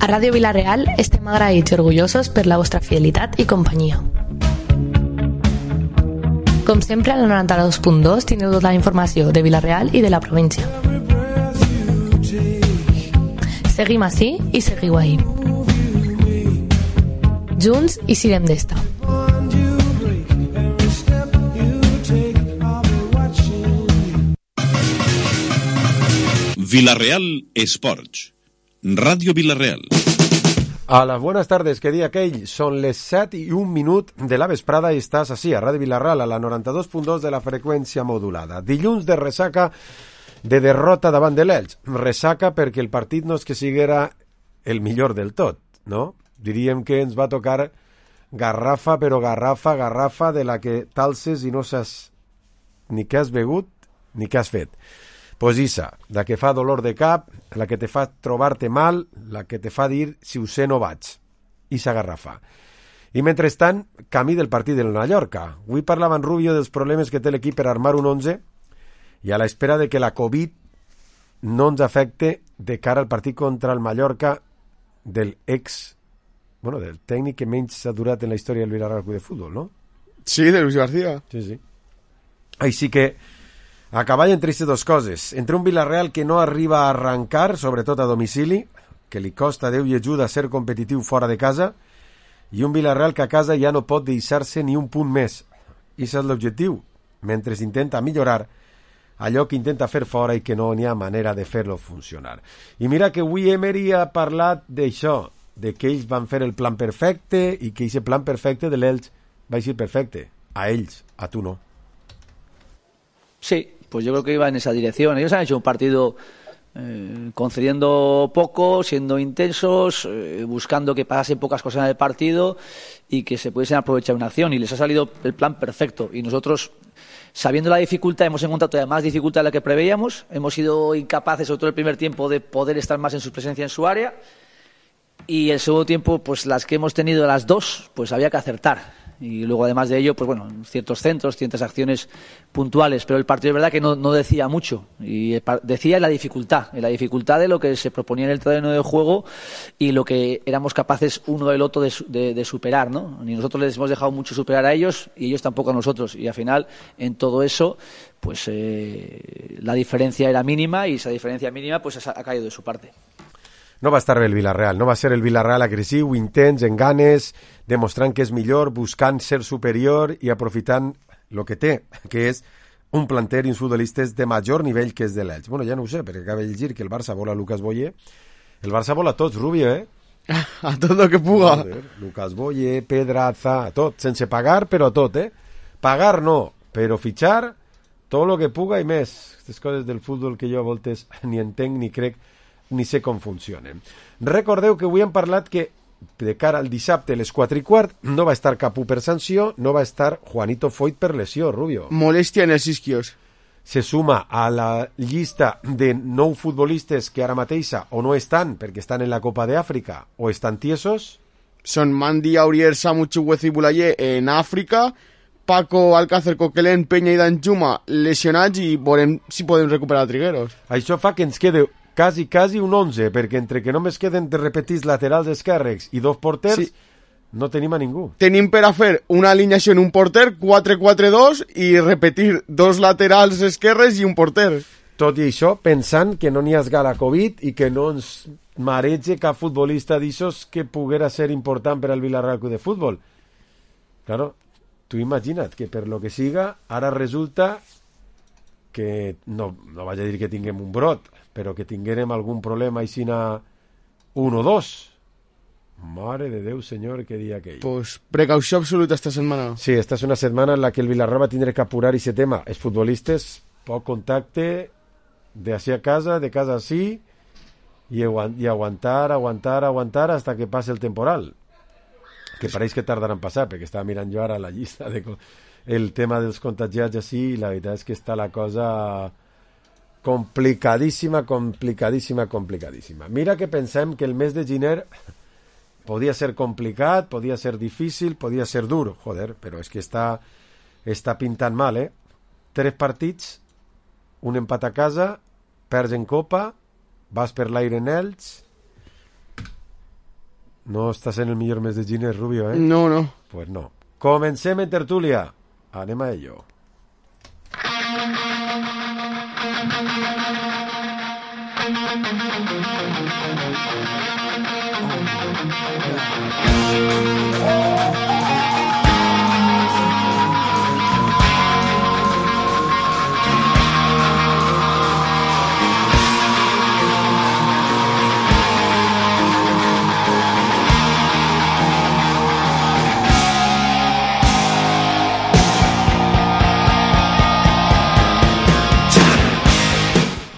A Ràdio Vila-real estem agraïts i orgullosos per la vostra fidelitat i companyia. Com sempre, al 92.2 teniu tota la informació de Vila-real i de la província. Seguim ací i seguiu ahí. Junts i sirem d'esta. Vila-real Esports. Radio Vila-real. Hola, buenas tardes, que dia aquell? Són les 7:01 de la vesprada i estàs així, a Ràdio Vila-real, a la 92.2 de la freqüència modulada. Dilluns de ressaca de derrota davant de l'Elx. Ressaca perquè el partit no és que siguera el millor del tot, no? Diríem que ens va tocar garrafa, però garrafa de la que talses i no saps ni què has begut ni què has fet. Pues issa, la que fa dolor de cap, la que te fa trobar-te mal, la que te fa dir si ho sé no vaig. Issa garrafa. I mentrestant, camí del partit del Mallorca. Avui parlava en Rubio dels problemes que té l'equip per armar un 11 i a l'espera de que la Covid no ens afecte de cara al partit contra el Mallorca del tècnic que menys ha durat en la història del Villarreal Club de Futbol, no? Sí, de Luis García. Sí. Així que a cavall entre aquestes dues coses, entre un Villarreal que no arriba a arrencar, sobretot a domicili, que li costa Déu i ajuda a ser competitiu fora de casa, i un Villarreal que a casa ja no pot deixar-se ni un punt més. I això és l'objectiu, mentre intenta millorar allò que intenta fer fora i que no n'hi ha manera de fer-lo funcionar. I mira que avui Emery ha parlat d'això, de que ells van fer el plan perfecte i que aquest plan perfecte de l'Elx va ser perfecte. A ells, a tu no. Sí, pues yo creo que iba en esa dirección. Ellos han hecho un partido concediendo poco, siendo intensos, buscando que pasasen pocas cosas en el partido y que se pudiesen aprovechar una acción. Y les ha salido el plan perfecto. Y nosotros, sabiendo la dificultad, hemos encontrado todavía más dificultad de la que preveíamos. Hemos sido incapaces, sobre todo el primer tiempo, de poder estar más en su presencia en su área. Y el segundo tiempo, pues las que hemos tenido las dos, pues había que acertar. Y luego, además de ello, pues bueno, ciertos centros, ciertas acciones puntuales, pero el partido es verdad que no decía mucho, y decía en la dificultad de lo que se proponía en el terreno de juego y lo que éramos capaces uno del otro de superar, ¿no? Ni nosotros les hemos dejado mucho superar a ellos y ellos tampoco a nosotros, y al final en todo eso pues la diferencia era mínima, y esa diferencia mínima pues ha caído de su parte. No va estar bé el Villarreal, no va ser el Villarreal agressiu, intens, en ganes, demostrant que és millor, buscant ser superior i aprofitant el que té, que és un planter i uns futbolistes de major nivell que és de l'Elx. Bueno, ja no ho sé, perquè acaba de llegir que el Barça vol a Lucas Boye. El Barça vol a tots, Rubio, eh? A tot el que puga. Joder, Lucas Boye, Pedraza, a tot, sense pagar, però a tot, eh? Pagar no, però fitxar tot el que puga i més. Aquestes coses del futbol que jo a voltes ni entenc ni crec ni sé com funcionen. Recordeu que avui hem parlat que de cara al dissabte a les 4:15 no va estar Capú per sanció, no va estar Juanito Foyt per lesió, Rubio. Molèstia en els isquios. Se suma a la llista de 9 futbolistes que ara mateixa o no estan perquè estan en la Copa d'Àfrica o estan tiesos. Són Mandi, Aurier, Samu, Chuguez i Bulayer en Àfrica, Paco, Alcácer, Coquelén, Peña i Danjuma lesionats, i veurem si podem recuperar Trigueros. Això fa que ens quede quasi un 11, perquè entre que només queden de repetits laterals esquerres i 2 porters, sí, no tenim a ningú. Tenim per a fer una alineació en un porter, 4-4-2, i repetir 2 laterals esquerres i un porter. Tot i això, pensant que no n'hi ha la Covid i que no ens marege cap futbolista d'aixòs que poguera ser important per al Villarreal Club de Futbol. Claro, tu imagina't que per lo que siga, ara resulta que no vaig a dir que tinguem un brot, però que tinguérem algun problema així a 1 o 2. Mare de Déu, senyor, que dia aquell. Pues precaució absoluta esta setmana. Sí, esta és una setmana en la que el Villarreal va tindre que apurar aquest tema. Els futbolistes, poc contacte, d'ací a casa, de casa a sí, i aguantar hasta que passe el temporal. Que pareix que tardarà en passar, perquè estava mirant jo ara la llista de el tema dels contagiats així, i la veritat és que està la cosa complicadíssima. Mira que pensem que el mes de gener podia ser complicat, podia ser difícil, podia ser dur, joder, però és que està pintant mal, eh? 3 partits, un empat a casa, perds en Copa, vas per l'aire en Elx, No estàs en el millor mes de gener, Rubio, eh? No, no. Pues no. Comencem en tertúlia. Anem a ello.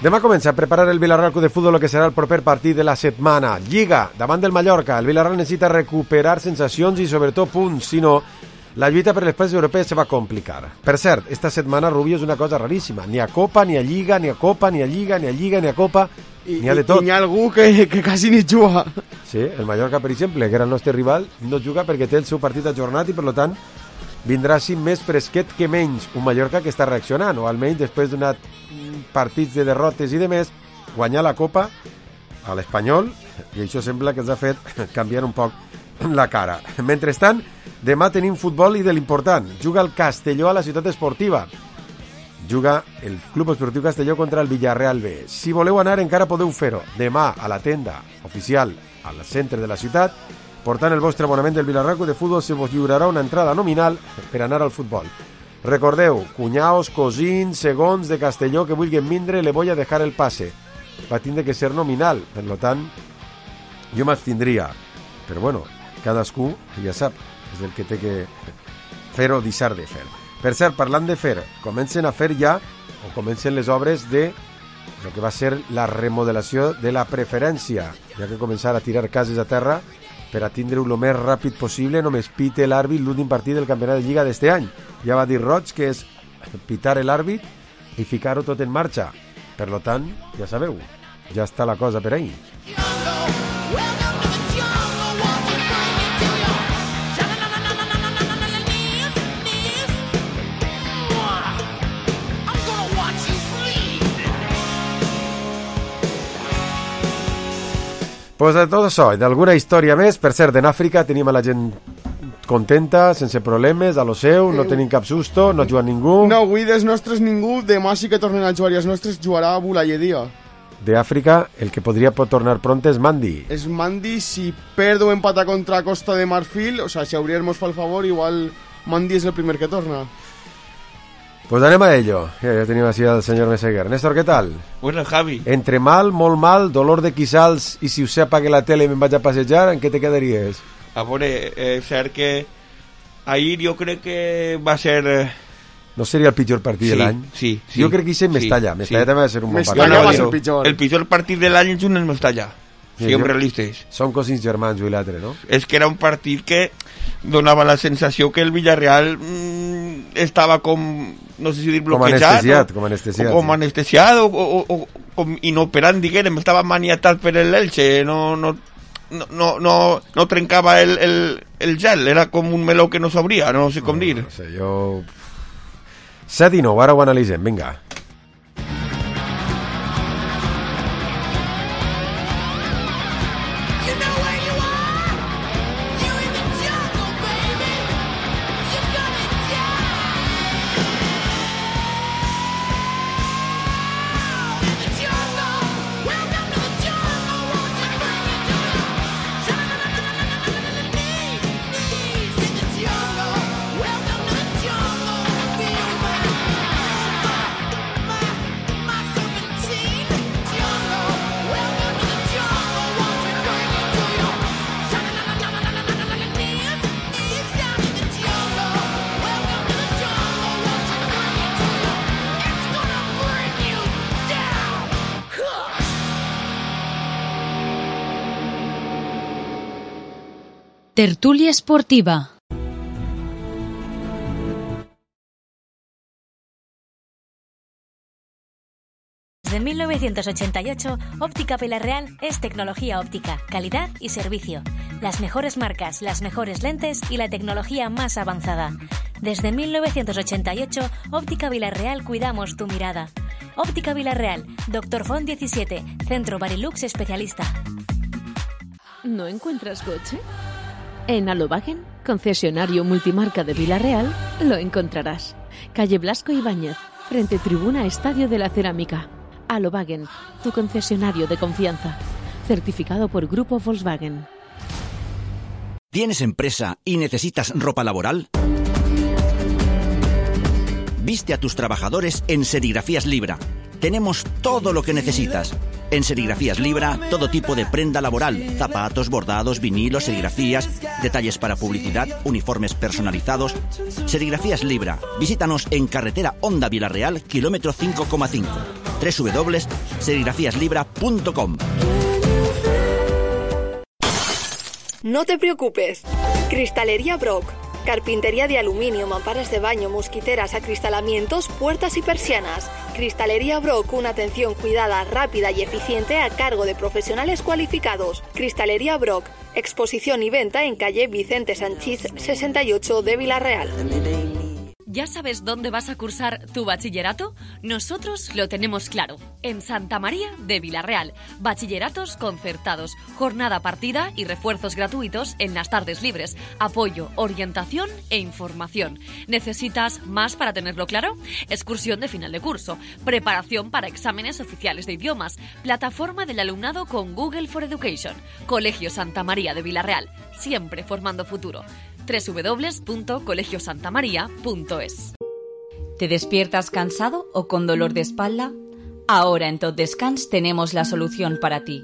Demà comença a preparar el Villarreal Club de Futbol el que serà el proper partit de la setmana. Lliga, davant del Mallorca. El Villarreal necessita recuperar sensacions i sobretot punts, si no, la lluita per les places europees se va complicar. Per cert, esta setmana, Rubio, és una cosa raríssima. Ni a Copa, ni a Lliga, ni a Copa, ni a Lliga, ni a Lliga, ni a Copa, ni a de tot. I n'hi ha algú que quasi ni juga. Sí, el Mallorca, per exemple, que era el nostre rival, no juga perquè té el seu partit ajornat i, per tant, vindrà així més fresquet que menys un Mallorca que està reaccionant, o almenys després d'una partits de derrotes i de més, guanyar la Copa a l'Espanyol, i això sembla que ens ha fet canviar un poc la cara. Mentrestant, demà tenim futbol i de l'important. Juga el Castelló a la ciutat esportiva. Juga el Club Esportiu Castelló contra el Villarreal B. Si voleu anar encara podeu fer-ho. Demà a la tenda oficial al centre de la ciutat, portant el vostre abonament del Villarreal Club de Futbol, se vos lliurarà una entrada nominal per anar al futbol. Recordeu, cunyaos, cosins, segons de Castelló que vulguin vindre, le voy a dejar el pase. Va tindre que ser nominal, per tant, jo m'abstindria. Però bueno, cadascú ja sap, és el que té que fer o deixar de fer. Per cert, parlant de fer, comencen a fer ja, o comencen les obres de el que va ser la remodelació de la preferència, ja que començar a tirar cases a terra per a tindre-ho el més ràpid possible. Només pite l'àrbit l'últim partit del campionat de Lliga d'este any. Ja va dir Roig que és pitar l'àrbit i ficar-ho tot en marxa. Per tant, ja sabeu, ja està la cosa per ahí. Pues de tot això i d'alguna història més. Per cert, en Àfrica tenim a la gent contenta, sense problemes, a lo seu, no tenim cap susto, no juga ningú. No, avui dels nostres ningú, demà sí que tornen a jugar i els nostres jugarà a Bulayedia. De Àfrica, el que podria tornar pronto és Mandi. És Mandi, si perd o empata contra Costa de Marfil, o sea, si Aurier mos fa el favor, igual Mandi és el primer que torna. Pues anem a ello. Ya tenim així al senyor Meseguer. Néstor, ¿qué tal? Bueno, Javi. Entre mal, molt mal, dolor de quissals i si us apague la tele i me'n vaig a passejar, en què te quedaries? A veure, és cert que ahir jo crec que va ser... No seria el pitjor partit de l'any? Sí. Jo crec que hi Mestalla. Mestalla també va ser un bon partit. Mestalla va ser el pitjor. El pitjor partit de l'any és un Mestalla. Siguem realistes. Són cosins germans, jo i l'altre, no? És que era un partit que donava la sensació que el Villarreal estava com, no sé si dir bloquejat, com anestesiat, com anestesiat o com inoperant, diguem, estava maniatat per l'Elche, no trencava el gel, era com un meló que no s'obria, no sé com dir. No sé, jo... 7 i 9, ara ho analitzem, vinga. Tertulia esportiva. Desde 1988, Óptica Villarreal es tecnología óptica, calidad y servicio. Las mejores marcas, las mejores lentes y la tecnología más avanzada. Desde 1988, Óptica Villarreal cuidamos tu mirada. Óptica Villarreal, Dr. Font 17, Centro Barilux Especialista. ¿No encuentras coche? En Alobagen, concesionario multimarca de Vila-real, lo encontrarás. Calle Blasco Ibáñez, frente tribuna Estadio de la Cerámica. Alobagen, tu concesionario de confianza. Certificado por Grupo Volkswagen. ¿Tienes empresa y necesitas ropa laboral? Viste a tus trabajadores en Serigrafías Libra. Tenemos todo lo que necesitas. En Serigrafías Libra, todo tipo de prenda laboral, zapatos, bordados, vinilos, serigrafías, detalles para publicidad, uniformes personalizados. Serigrafías Libra. Visítanos en carretera Honda Vila-real, kilómetro 5,5. www.serigrafiaslibra.com. No te preocupes. Cristalería Brock. Carpintería de aluminio, mamparas de baño, mosquiteras, acristalamientos, puertas y persianas. Cristalería Brock, una atención cuidada, rápida y eficiente a cargo de profesionales cualificados. Cristalería Brock, exposición y venta en calle Vicente Sanchís 68 de Vila-real. ¿Ya sabes dónde vas a cursar tu bachillerato? Nosotros lo tenemos claro. En Santa María de Vila-real. Bachilleratos concertados, jornada partida y refuerzos gratuitos en las tardes libres. Apoyo, orientación e información. ¿Necesitas más para tenerlo claro? Excursión de final de curso. Preparación para exámenes oficiales de idiomas. Plataforma del alumnado con Google for Education. Colegio Santa María de Vila-real. Siempre formando futuro. www.colegiosantamaria.es. ¿Te despiertas cansado o con dolor de espalda? Ahora en Tot Descans tenemos la solución para ti.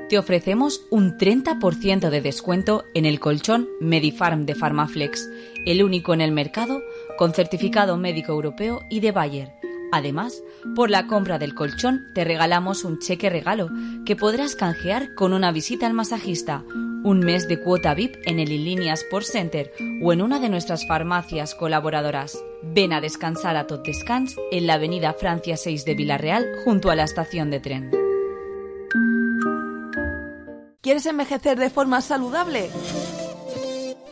Te ofrecemos un 30% de descuento en el colchón Medifarm de Pharmaflex, el único en el mercado con certificado médico europeo y de Bayer. Además, por la compra del colchón te regalamos un cheque regalo que podrás canjear con una visita al masajista, un mes de cuota VIP en el Inlínea Sport Center o en una de nuestras farmacias colaboradoras. Ven a descansar a Tot Descans en la avenida Francia 6 de Vila-real junto a la estación de tren. ¿Quieres envejecer de forma saludable?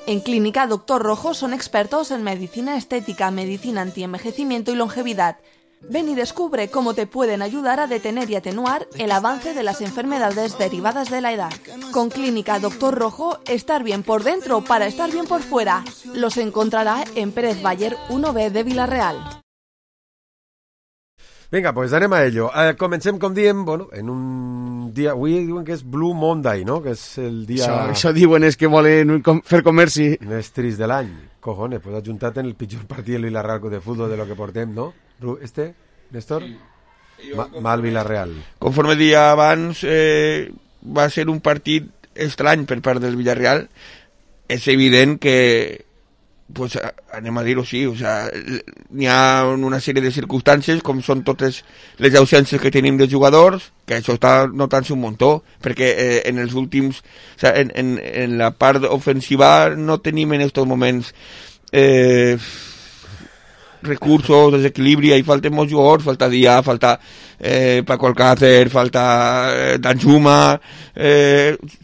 En Clínica Doctor Rojo son expertos en medicina estética, medicina antienvejecimiento y longevidad. Ven y descubre cómo te pueden ayudar a detener y atenuar el avance de las enfermedades derivadas de la edad. Con Clínica Doctor Rojo, estar bien por dentro para estar bien por fuera. Los encontrará en Pérez Bayer 1B de Vila-real. Vinga, pues anem a ello. Comencem, com diem, bueno, en un dia... Avui diuen que és Blue Monday, no? Que és el dia... Això diuen és que volen fer comerci. Més trist de l'any. Cojones, pues ajuntat en el pitjor partit del Vila-real de fútbol de lo que portem, no? Néstor? Mal Vila-real. Conforme dia abans, va ser un partit estrany per part del Villarreal. És evident que, pues, anem a dir-ho així, o sea, n'hi ha una sèrie de circumstàncies, com són totes les ausències que tenim de jugadors, que això està notant-se un muntó, perquè en els últims, o sea, en la part ofensiva no tenim en estos moments recursos, desequilibri, ahí falten molts jugadors, falta Díaz, falta Paco Alcácer, falta Danjuma,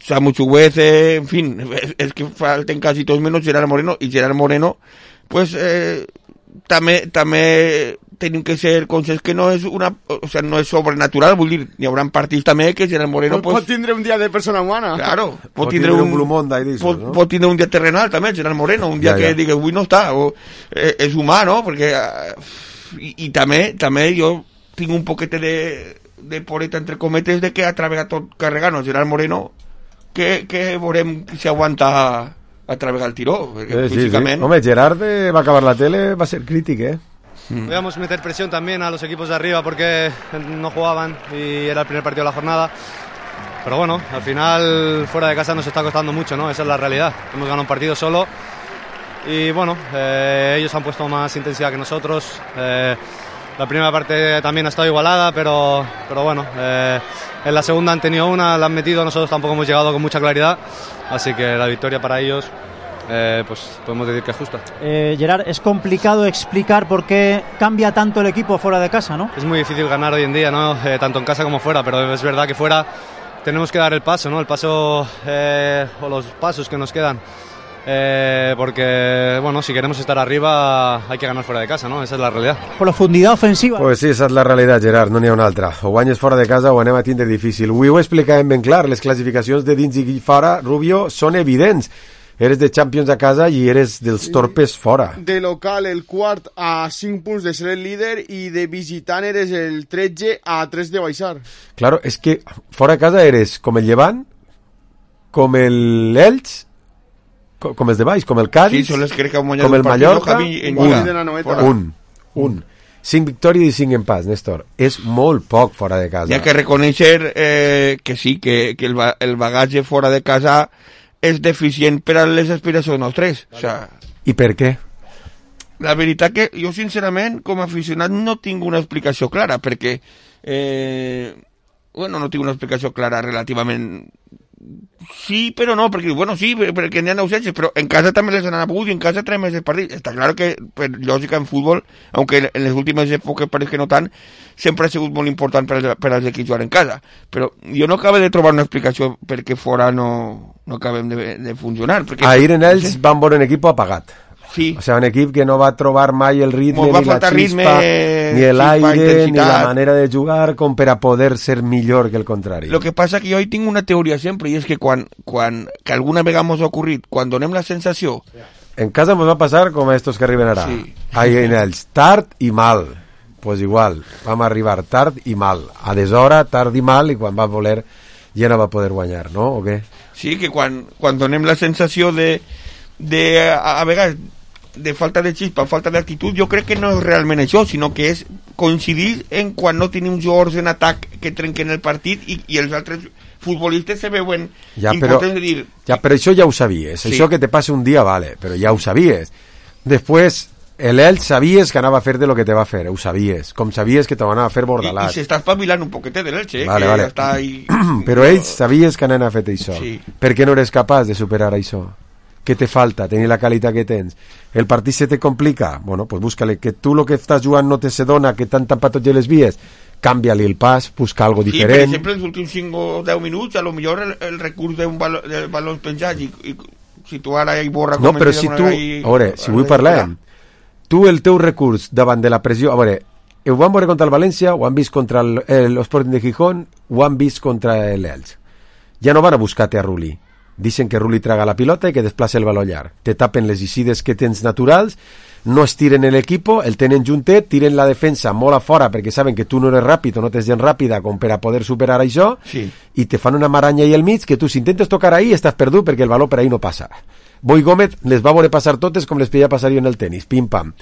Samu Chuguece, en fin, es que falten casi todos menos Gerard Moreno, y Gerard Moreno, pues també tenim que ser conscients que no és no és sobrenatural, vull dir, hi haurà partits també que Gerard Moreno pot tindre un dia de persona humana. Claro, pot tindre un Blue Monday d'això, no? Pot tindre un dia terrenal també, Gerard Moreno, un dia que digui avui no està, és humà, no? Perquè i també jo tinc un poquete de poreta entre cometes de que ha treballat tot carregant Gerard Moreno, que veurem si aguanta a treballar el tiró, perquè físicament... Home, Gerard va acabar la tele, va ser crític, Podíamos meter presión también a los equipos de arriba porque no jugaban y era el primer partido de la jornada. Pero bueno, al final fuera de casa nos está costando mucho, ¿no? Esa es la realidad. Hemos ganado un partido solo y bueno, ellos han puesto más intensidad que nosotros. La primera parte también ha estado igualada, pero bueno, en la segunda han tenido una, la han metido, nosotros tampoco hemos llegado con mucha claridad. Así que la victoria para ellos... pues podemos decir que es justa. Gerard, es complicado explicar por qué cambia tanto el equipo fuera de casa, ¿no? Es muy difícil ganar hoy en día, ¿no? Tanto en casa como fuera, pero es verdad que fuera tenemos que dar el paso, ¿no? El paso o los pasos que nos quedan porque, bueno, si queremos estar arriba hay que ganar fuera de casa, ¿no? Esa es la realidad. Profundidad ofensiva. Pues sí, esa és la realitat, Gerard, no n'hi ha una altra. O guanyes fora de casa o anem a tindre difícil. Avui ho explicàvem ben clar, les classificacions de dins i fora, Rubio, són evidents. Eres de Champions a casa i eres dels torpes fora. De local, el quart a 5 punts de ser el líder i de visitant eres el 13 a 3 de baixar. Claro, és que fora de casa eres com el Llevant, com el Elx, com els de baix, com el Cádiz, sí, com el Mallorca, un. 5 victòries i 5 empats, Néstor. És molt poc fora de casa. Hi ha que reconèixer que sí, que el bagatge fora de casa és deficient per a les aspiracions nostres. O sea, I per què? La veritat que jo, sincerament, com a aficionat, no tinc una explicació clara, perquè no tinc una explicació clara relativament. Sí, però no, perquè, sí, perquè n'hi ha ausències, però en casa també les han hagut i en casa traiem més el partit. Està clar que, per lògica, en futbol, aunque en les últimes èpoques pareix que no tant, sempre ha sigut molt important per als equips jugar en casa. Però jo no acabo de trobar una explicació perquè fora no acabem de funcionar. Perquè, ahir en ells van veure un equip apagat. Sí. O sea, un equip que no va trobar mai el ritme, ni la xispa, ni l'aire, ni la manera de jugar com per a poder ser millor que el contrari. Lo que passa que jo hi tinc una teoria sempre, i és que quan que alguna vegada mos ha ocorrit, quan donem la sensació... En casa mos va passar com a estos que arriben ara. Sí. Ahir en ells, tard i mal. Pues igual, vam arribar tard i mal. A deshora, tard i mal, i quan va voler ja no va poder guanyar, no? O què? Sí, que quan donem la sensació de a vegades de falta de xispa, falta d'actitud, jo crec que no és realment això, sinó que és coincidir en quan no tenim jugadors en atac que trenquen el partit i els altres futbolistes se veuen importants de dir... Ja, però això ja ho sabies. Sí. Això que te passa un dia, vale, però ja ho sabies. Després, l'Elx sabies que anava a fer de lo que te va fer, ho sabies. Com sabies que te va anar a fer Bordalàs. I s'està espavilant un poquet de l'Elx, vale, que vale. Està ahí... Però ells sabies que anaven a fer això. Sí. Per què no eres capaç de superar això? Què te falta? Tenir la qualitat que tens. El partit se te complica? Bueno, pues búscale. Que tu lo que estàs jugant no te se dona, que t'han tampat tots les vies, canvia-li el pas, busca algo diferent. Sí, per exemple, els últims 5 o 10 minuts, a lo millor el recurs d'un balons penjats i si tu ara hi borra... No, però si tu... A veure, si avui parlem, tu el teu recurs davant de la pressió... A veure, ho van veure contra el València, ho han vist contra l'Sporting de Gijón, ho han vist contra l'Elx. Ja no van a buscar-te a Rulli. Dicen que Rulli traga la pilota i que desplaça el baló llarg. Te tapen les icides que tens naturals, no estiren l'equipo, el tenen juntet, tiren la defensa molt a fora perquè saben que tu no eres ràpid o no tens gent ràpida com per a poder superar això, sí. I te fan una maranya ahí al mig que tu si intentes tocar ahí estàs perdut perquè el baló per ahí no passa. Boi Gómez les va veure passar totes com les podia passar jo en el tenis, pim-pam.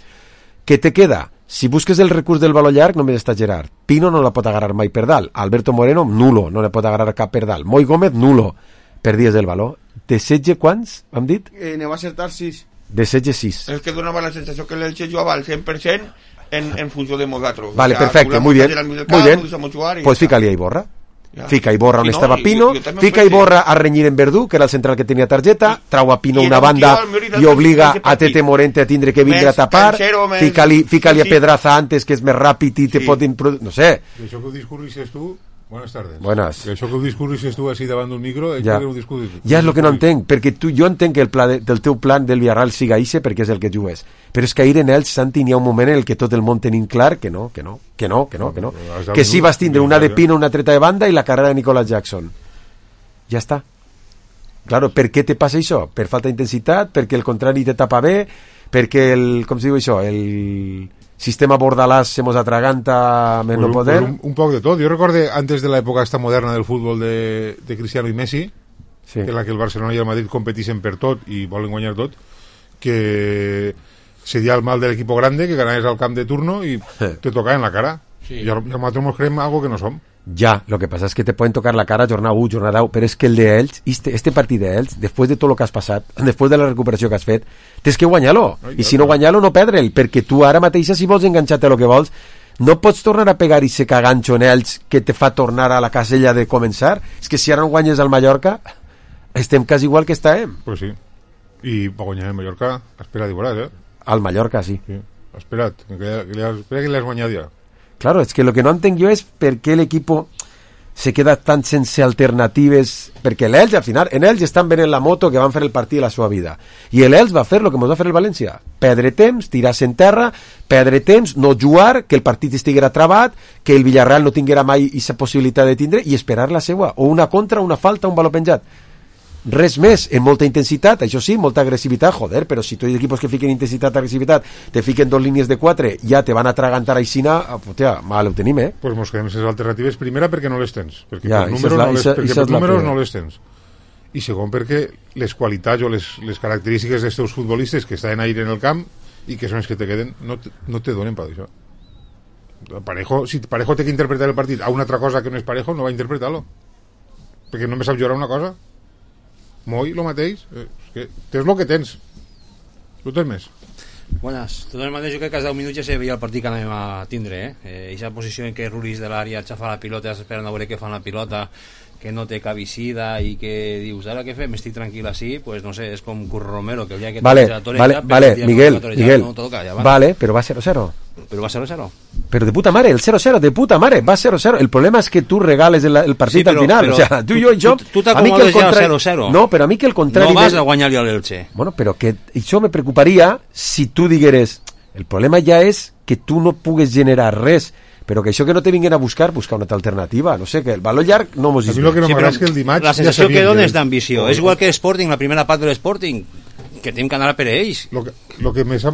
Què te queda? Si busques el recurs del baló llarg només està Gerard. Pino no la pot agarrar mai per dalt. Alberto Moreno, nulo, no la pot agarrar cap per dalt. Moi Gómez, nulo. Perdies el valor. De 16 quants, hem dit? Ne va acertar 6. De 16, 6. És que donava la sensació que l'Elche jugava al 100% en funció de nosaltres. Vale, perfecte, muy bien. Muy bien. Pues fica-li a Iborra. Ja. Fica Iborra on estava Pino, fica Iborra a renyir en Verdú, que era el central que tenia targeta, trau a Pino una banda i obliga a Tete Morente a tindre que vindre a tapar, fica-li a Pedraza antes, que és més ràpid i te pot... No sé. Això que ho discurrisses tu... Buenas tardes. Buenas. Que això que ho discurrisses tu així davant d'un micro, ja és el que no entenc, perquè jo entenc que el pla del teu plan del Villarreal siga ixe perquè és el que jugues, però és que ahir en ells, Santi, n'hi ha un moment en el que tot el món tenim clar que no, que sí vas tindre una de Pino, una treta de banda i la carrera de Nicolas Jackson. Ja està. Claro, per què te passa això? Per falta d'intensitat? Perquè el contrari te tapa bé? Perquè com se diu això? El sistema Bordalàs se mos atraganta més no poder? Un poc de tot. Jo recorde antes de l'època esta moderna del futbol de Cristiano i Messi, sí, en la que el Barcelona i el Madrid competixen per tot i volen guanyar tot, que seria el mal de l'equipo grande, que ganaves al camp de turno i te tocava en la cara. Sí. I nosaltres nos creem algo que no som. Ya, lo que pasa es que te pueden tocar la cara jornada 1, jornada 2, pero es que el de Elx, este partit de Elx, després de tot el que has passat, després de la recuperació que has fet, tens que guanyar-lo, i si no guanyar-lo no perdre'l, perquè tu ara mateixa si vols enganxar-te a lo que vols, no pots tornar a pegar i se caganxo en Elx que te fa tornar a la casella de començar. És que si ara no guanyes al Mallorca estem quasi igual que estàvem. Pues sí, i per guanyar el Mallorca espera't i veuràs, Al Mallorca, sí. Espera't, espera que l'has guanyat ja. Claro, es que lo que no entenc jo és per què l'equipo se queda tan sense alternatives, perquè l'Elx, al final, en Elx estan venent la moto que van fer el partit de la seva vida, i l'Elx va fer el que ens va fer el València, perdre temps, tirar-se en terra, perdre temps, no jugar, que el partit estiguera trabat, que el Villarreal no tinguera mai aquesta possibilitat de tindre, i esperar la seva, o una contra, una falta, un valor penjat. Res més, en molta intensitat, això sí, molta agressivitat, joder, però si tots els equipos que fiquen intensitat, agressivitat, te fiquen 2 línies de 4, ja te van a atragantar aixina, putea, mal ho tenim, Pues mos quedem sense alternatives, primera perquè no les tens, perquè ja, per números no les tens, i segon perquè les qualitats o les característiques dels teus futbolistes que estan ahí en el camp i que són els que te queden, no te donen per això. Parejo, si Parejo té que interpretar el partit a una altra cosa que no és Parejo, no va a interpretar-lo, perquè no me sap jugar una cosa. Moi, lo mateix, que tens el que tens, no tens més. Buenas, de totes maneres jo crec que als 10 minuts ja se veia el partit que anem a tindre, Eixa posició en què Rulis de l'àrea xafa la pilota, esperant a veure què fan la pilota, que no té cabicida i que dius, ara què fem, estic tranquil així, pues no sé, és com Curro Romero, que el dia que vale, Miguel, no toca, ja va. Vale, però va 0-0. Però va 0-0. Pero de puta madre, el 0-0, de puta madre, va 0-0. El problema es que tú regales el partido al final. O sea, tú y yo... Tú t'acomodes ja al 0-0. No, però a mi que el contrari... No vas a guanyar-li a l'Elche. Bueno, però que això me preocuparia si tu digueres... El problema ja és que tu no pugues generar res, però que això que no te vinguin a buscar una altra alternativa. No sé, que el valor llarg no mos... A mi el que no m'agrada és que el dimarts... La sensació que dona és d'ambició. És igual que l'Sporting, la primera part de l'Sporting, que tenim que anar a per ells. Lo que me fa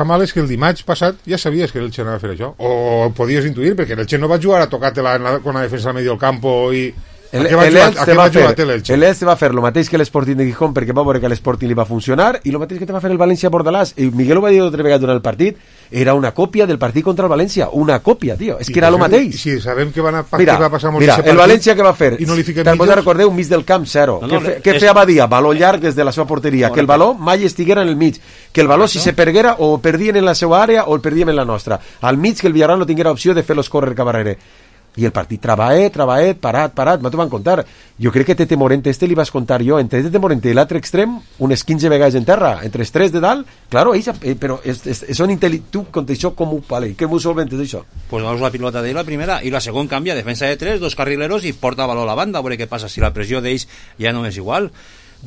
mal és que el dimarts passat ja sabies que l'Elche anava a fer això, o podies intuir, perquè l'Elche no va jugar a tocar-te-la con la defensa al medio del campo i... L'Elche va fer el mateix que l'Sporting de Gijón, perquè va veure que l'Sporting li va funcionar, i el mateix que te va fer el València Bordalàs, i Miguel ho va dir altra vegada durant el partit, era una còpia del partit contra el València, una còpia, tio, és que era el mateix. Si sabem que va passar molt mira, el València que va fer, i no li fiquem te'n pots recordar un mig del camp 0, què feia Badia? Baló llarg des de la seva porteria, que el baló mai estiguera en el mig, que el baló si se perguera o perdien en la seva àrea o el perdíem en la nostra, al mig que el Villarreal no tinguera opció de fer-los córrer cap darrere. I el partit trabaet, parat, m'ho van contar. Jo crec que Tete Morente li vas contar jo, entre Tete Morente i l'altre extrem, unes 15 vegades en terra, entre els 3 de dalt, claro, però són intel·ligents, tu conta això com ho vale, que m'ho solventes això? Pues vamos la pilota d'ell la primera, i la segon canvia, defensa de 3, 2 carrileros i porta valor a la banda, a veure què passa, si la pressió d'ells ja no és igual.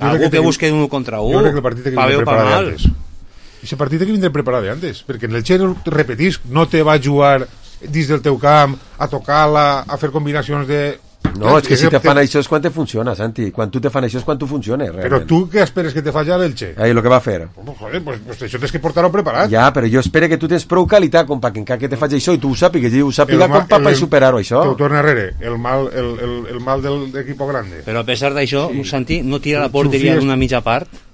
Algú que busque un contra un, pa bé o pa mal. Aquest partit que vindre preparat d'antes, perquè en el Xeno, repetís, no te va jugar dins del teu camp, a tocar-la, a fer combinacions de... No, és que si te fan això és quan te funciona, Santi. Quan tu te fan això és quan tu funciona, realment. Però tu què esperes que te faci a l'Elche? Ahí, lo que va fer. Joder, pues això tens que portar-ho preparat. Ja, però jo espero que tu tens prou qualitat com perquè encara que te faci això i tu ho sàpigues, i ho sàpiga com per superar-ho, això. Te ho torna arrere, el mal del equipo grande. Però a pesar d'això, Santi, no tira la porteria d'una mitja part?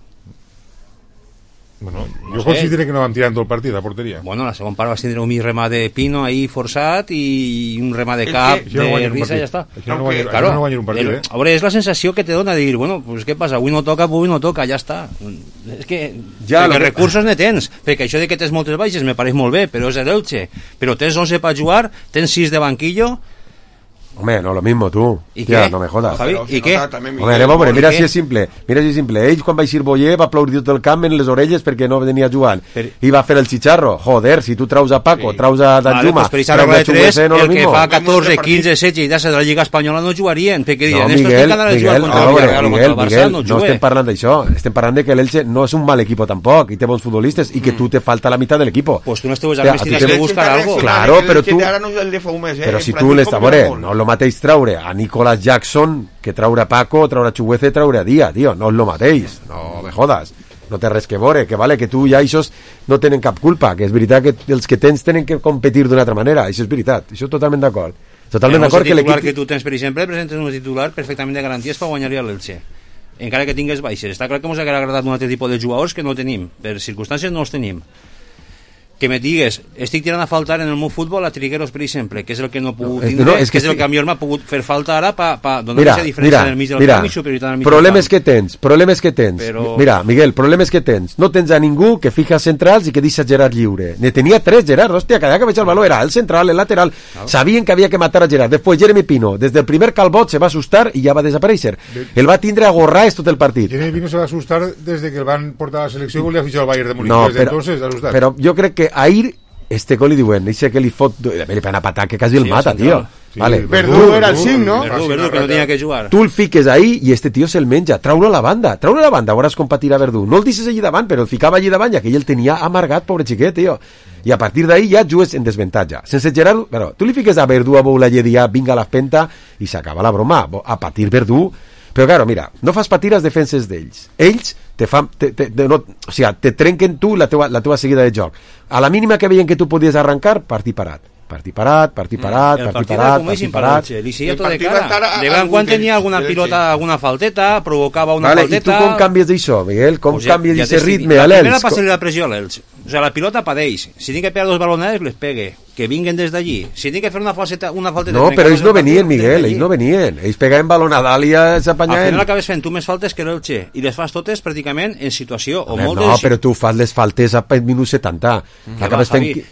Bueno, jo considero que no vam tirar en tot el partit a porteria. Bueno, la segona part vas tindre un remà de Pino ahí forçat i un remà de cap de Risa i ja està. Això no guanyar un partit, A veure, és la sensació que te dona de dir, bueno, pues què passa, avui no toca, ja està. És que recursos ne tens, perquè això de que tens moltes baixes me pareix molt bé, però és l'Elche. Però tens 11 per jugar, tens 6 de banquillo. Hombre, no lo mismo tú. Tía, no me jodas. ¿Y qué? Hombre, mira si és simple. Ell, quan va eixir Boyer, va aplaudir tot el camp en les orelles perquè no venia jugant. I va fer el xicharro. Joder, si tu traus a Paco, traus a Danjuma, traus a Chuguese, no lo mismo. El que fa 14, 15, 16 i de la Lliga Espanyola no jugarien. Perquè dirien, Miguel, no estem parlant d'això. Estem parlant que l'Elche no és un mal equipo tampoc, i té bons futbolistes, i que tu te falta la mitad del equipo. Pues tu no esteues tienes que buscar algo. Claro, però tu... Però si tu l'estàs... No lo mateix traure a Nicolas Jackson que traure a Paco, traure a Chuguece, traure a Díaz, tio, no és lo mateix, no me jodas, no té res que veure, que vale, que tu ja aixòs no tenen cap culpa, que és veritat que els que tens tenen que competir d'una altra manera, això és veritat, això totalment d'acord. Totalment d'acord que l'equip... que tu tens, per exemple, presentes un titular perfectament de garanties per guanyar-li a l'Elche, encara que tingues baixes. Està clar que ens hauria agradat un altre tipus de jugadors que no tenim, per circumstàncies no els tenim. Que me digues, estic tirant a faltar en el meu futbol a Trigueros, per exemple, que és el que no he pogut tindre, que és el que a mi m'ha pogut fer falta ara per donar aquesta diferència en el mig del camp i superioritat en el mig del camp. Problemes que tens. Mira, Miguel, problemes que tens. No tens a ningú que fica centrals i que deixa Gerard lliure. Ne tenia 3 Gerard, hòstia, cada que veig el valor era el central, el lateral. Sabien que havia que matar a Gerard. Després Jeremy Pino, des del primer calbot se va assustar i ja va desaparèixer. El va tindre a gorrars tot el partit. Jeremy Pino se va assustar des que el van portar a la selecció i volia fitxar al Bayern de Múnich. Però jo crec que ahir este gol li diuen, dice que li fot, li pega una patada que quasi el mata, tío. Sí, vale. Verdú era el 5, no? Verdú, que no tenia que jugar. Tu el fiques ahí i este tio se'l menja. Trau-lo a la banda, veuràs com patirà Verdú. No el deixes allí davant, però el ficava allí davant, ja que ell el tenia amargat, pobre xiquet, tio. I a partir d'ahí ja jugues en desventatge. Sense Gerard, però tu li fiques a Verdú a Boulaye dia, vinga a l'espenta, i s'acaba la broma. A patir Verdú. Però, claro, mira, no fas patir les defenses d'ells. Ells te trenquen tu la teva seguida de joc. A la mínima que veien que tu podies arrencar, partir parat. Partir parat. El partit era com ells imparable. Li seguia tot de cara. De quan tenia alguna pilota, alguna falteta, provocava una falteta. I tu com canvies d'això, Miguel? Com canvies d'aquest ritme a l'Elx? La l'Elx? primera passa-li la pressió a l'Elx. O sea, la pilota padeix. Si tinc que pegar dos balonades, les pegue. Que vinguen des d'allí. Si tinc que fer una falteta... No, però ells no venien, Miguel, ells no venien. Ells pegaven balonada i s'apanyaven. Al final acabes fent tu més faltes que l'Elche. I les fas totes pràcticament en situació o molt No, però tu fas les faltes a minut 70.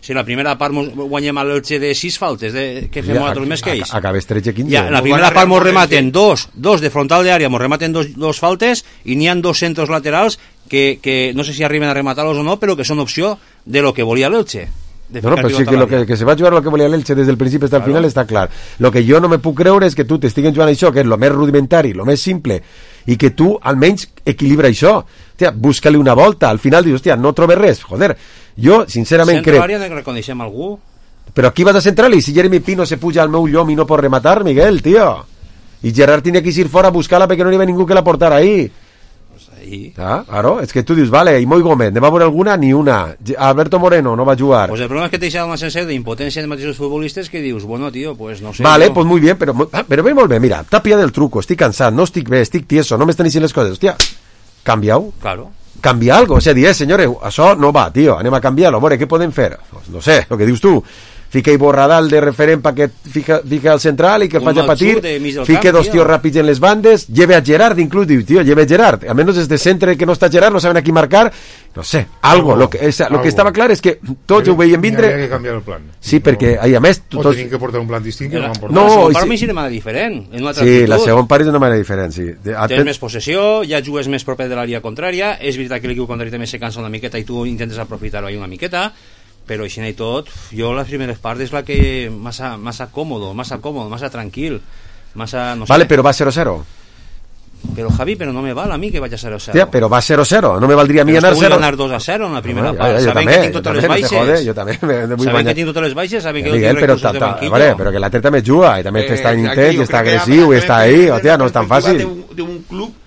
Si la primera part guanyem a l'Elche de 6 faltes, que fem nosaltres més que ells. Acabes 13-15. Ja, la primera part mos rematen dos de frontal d'àrea, mos rematen dos faltes i n'hi ha dos centros laterals que no sé si arriben a rematar-los o no, però que són opció de lo que volia l'Elche. No, però sí que se va jugar lo que volia l'Elche des del principi fins al final està clar. Lo que jo no me puc creure és que tu t'estiguen jugant això, que és lo més rudimentari, lo més simple, i que tu almenys equilibra això. Hòstia, busca-li una volta, al final dius, hòstia, no trobes res, joder. Jo, sincerament, crec... Centro àrea que reconeixem algú? Però aquí vas a centrar-li, si Jeremy Pino se puja al meu llom i no pot rematar, Miguel, tio. I Gerard tenia que ir fora a buscar-la perquè no hi havia ningú que la portara ahí. Claro, és que tu dius, vale, i Moi Gómez, ne va veure alguna? Ni una. Alberto Moreno no va jugar. Pues el problema es que te deixa una sensació d'impotència de mateixos futbolistes que dius, bueno, tío, pues no sé. Vale, pues muy bien, pero ve molt bé, mira, t'ha pillat el truco, estic cansat, no estic bé, estic tieso, no m'estan dient les coses, hòstia, canvia-ho. Claro. Canvia algo, o sea, dir, senyores, això no va, tio, anem a canviar-lo, a veure, què podem fer? Pues no sé, el que dius tu. Fica i Borradal de referent perquè fica al central i que el faci a patir, fica dos tios ràpids en les bandes, lleve a Gerard inclús, diu, tio, lleve a Gerard, almenys des de centre que no està Gerard, no saben a qui marcar, no sé, algo, lo que estava clar és que tots ho veien vindre. Havia que canviar el plan. Sí, perquè, a més... O tenien que portar un plan distint que no van portar. La segon part m'hi de manera diferent. Sí, la segon part és d'una manera diferent, sí. Tens més possessió, ja jugues més proper de l'àrea contrària, és veritat que l'equip contrari també se cansa una miqueta i tu intentes aprofitar-ho ahí una miqueta, però així i tot, jo les primeres parts és la que massa còmodo, massa tranquil, massa, no sé. Vale, però va 0-0. Però Javi, però no me val a mi que vaig a 0-0. Hòstia, però va 0-0, no me valdria a mi anar 0. Però vull anar 2-0 en la primera part, saben que tinc totes les baixes. Jo també. Saben que tinc totes les baixes, saben que Miguel, tinc recursos de banquillo. Però que l'altre també juga, i també està intens, està agressiu, i està ahí, hòstia, no és tan fàcil. De un club,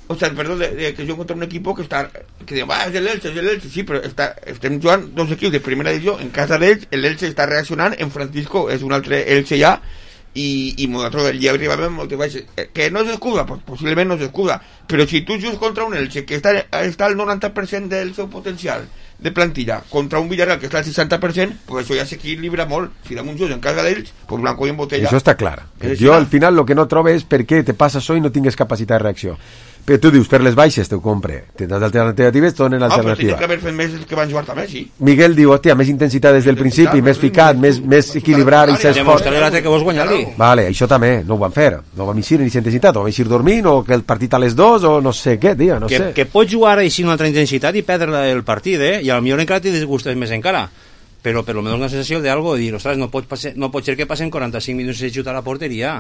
o sea, perdón, que yo contra un equipo que está, que digo, es el Elche, sí, pero estem jugant dos equipos de primera divisió en casa d'ells, l'Elche està reaccionant, en Francisco és un altre Elche ja, i nosaltres el dia arribàvem moltes baixes, que no és escuda, pues possiblement no és escuda, però si tu jugues contra un Elche que està al 90% del seu potencial de plantilla, contra un Villarreal que està al 60%, pues això ja s'equilibra molt. Si dam un just en casa d'ells, pues blanco i en botella. Això està clar. Jo al final el que no trobo és per què te passa això i no tingues capacitat de reacció. Però tu dius, per les baixes t'ho compre. Tens alternatives, t'ho donen alternativa. Però tenen que haver fet més que van jugar també, sí. Miguel diu, hòstia, més intensitat des del principi, més ficat, més equilibrat i s'esforç. Demostraré que vols guanyar-li. Vale, això també, no ho van fer. No vam eixir ni intensitat, o vam eixir dormint, o que el partit a les 2, o no sé què, tio, no sé. Que pots jugar així una altra intensitat i perdre el partit, i a lo millor encara t'hi disgustes més encara. Però per lo menos una sensació d'algo, de dir, ostres, no pot ser que passen 45 minuts de xut a la porteria,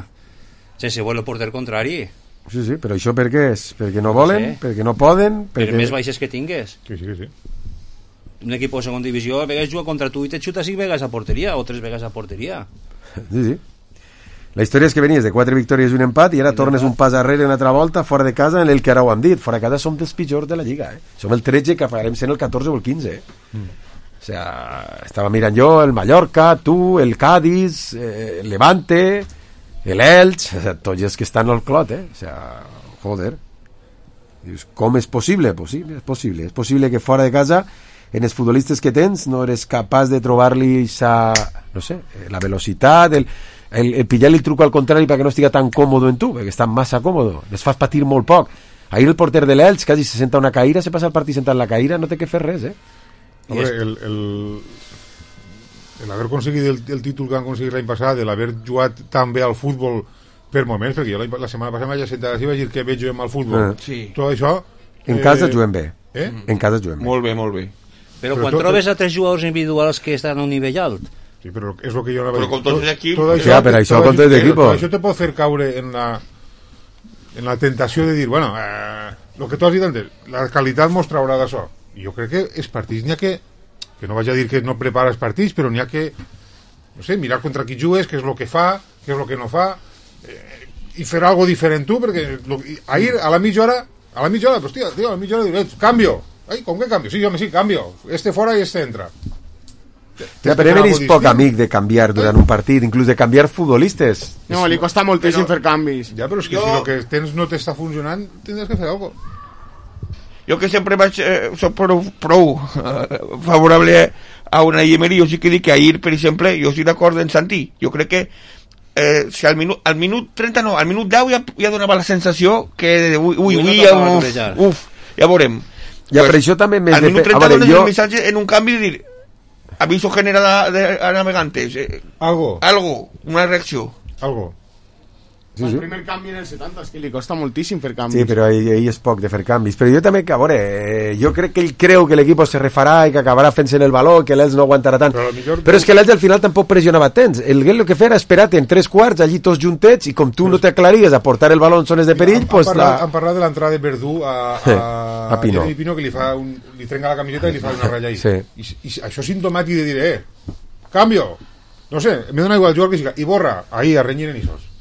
sense veure el porter contrari. Sí, però això per què és? Perquè no volen? Perquè no poden? Per més baixes que tingues. Sí. Un equip de segona divisió a vegades juga contra tu i te xuta 5 vegades a porteria o 3 vegades a porteria. Sí. La història és que venies de 4 victòries i un empat i ara tornes un pas arrere una altra volta fora de casa en el que ara ho hem dit. Fora de casa som dels pitjors de la Lliga. Som el 13 que acabarem sent el 14 o el 15. O sea, estava mirant jo el Mallorca, tu, el Cádiz, el Levante... l'Elx, tots els que estan al clot, o sea, joder. Dius, com és possible? És possible que fora de casa, en els futbolistes que tens, no eres capaç de trobar-li no sé, la velocitat, el pillar-li el truco al contrari perquè no estiga tan còmodo en tu, perquè està massa còmodo, les fas patir molt poc. Ahir el porter de l'Elx quasi se senta una caïra, se passa el partit sentat en la caïra, no té que fer res, el haver aconseguit el títol que han aconseguit l'any passat, l'haver jugat tan bé al futbol per moments, perquè jo la setmana passada vaig sentar i vaig dir que bé juguem al futbol. Tot això... En casa juguem bé. En casa juguem bé. Molt bé. Però quan trobes a 3 jugadors individuals que estan a un nivell alt, Sí, però és el que jo anava però con tots els equips... Per això con tots els equips. Això te pot fer caure en la tentació de dir, bueno, el que tu has dit antes, la qualitat mos traurà d'això. Jo crec que els partits n'hi ha que no vaig a dir que no prepares partits, però n'hi ha que, no sé, mirar contra qui jugues, què és el que fa, què és el que no fa, i fer algo diferent tu, perquè ahir a la mitja hora, pues tío, a la mitja hora dius, cambio. Ai, com que cambio? Sí, home, sí, cambio. Este fora i este entra. Ja, però eres poc amic de canviar durant un partit, inclús de canviar futbolistes. No, li costa moltíssim fer canvis. Ja, però és que si el que tens no t'està funcionant, tindràs que fer alguna cosa. Jo que sempre soc prou favorable a una Emery, jo sí que dic que ahir, per exemple, jo estic d'acord en Santi, jo crec que si al minut 30 no, al minut 10 ja donava la sensació que ja veurem. Ja, per això també al minut 30 dones el missatge en un canvi de dir aviso general a navegantes, algo, una reacció, algo. Sí, el primer canvi en el 70 és que li costa moltíssim fer canvis. Sí, però ell és poc de fer canvis. Però jo també, que a veure, jo crec que ell creu que l'equip se refarà i que acabarà fent-se en el valor, que l'Elx no aguantarà tant. Però és que l'Elx al final tampoc pressionava temps. El Guel el que feia era esperar-te en 3 quarts, allí tots juntets, i com tu no t'aclaries a portar el baló en zones de perill, han parlat de l'entrada de Verdú a Pino. Pino, que li trenca la camiseta i li fa una ratlla ahí. I això és sintomàtic de dir, cambio, no sé, me dona igual jugar que siga, i borra, ahí, a renyir en isos.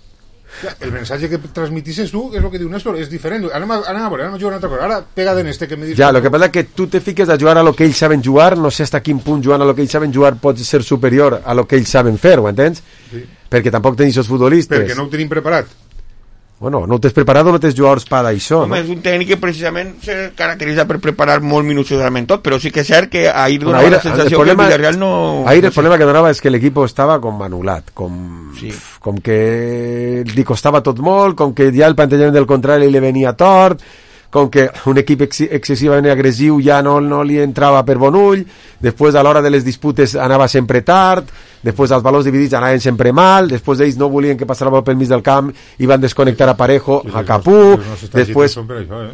El mensatge que transmitisses tu és el que diu Néstor, és diferent. Anem a jugar una altra cosa. Ara pega en este que me dius. Ja, el que passa és que tu te fiques a jugar a lo que ells saben jugar, no sé hasta quin punt jugant a lo que ells saben jugar pot ser superior a lo que ells saben fer, ho entens? Sí. Perquè tampoc tenis els futbolistes. Perquè no ho tenim preparat. Bueno, no ho tens preparat o no tens jugadors per això, no? És un tècnic que precisament se caracteritza per preparar molt minuciosament tot, però sí que és cert que ahir donava la sensació que el Villarreal no... Ahir el problema que donava és que l'equip estava com anulat, com que li costava tot molt, com que ja el plantejament del contrari li venia tort, com que un equip excessivament agressiu ja no li entrava per bon ull, després a l'hora de les disputes anava sempre tard, després els valors dividits anaven sempre mal, després ells no volien que passara pel mig del camp i van desconnectar a Parejo, a Capú, després...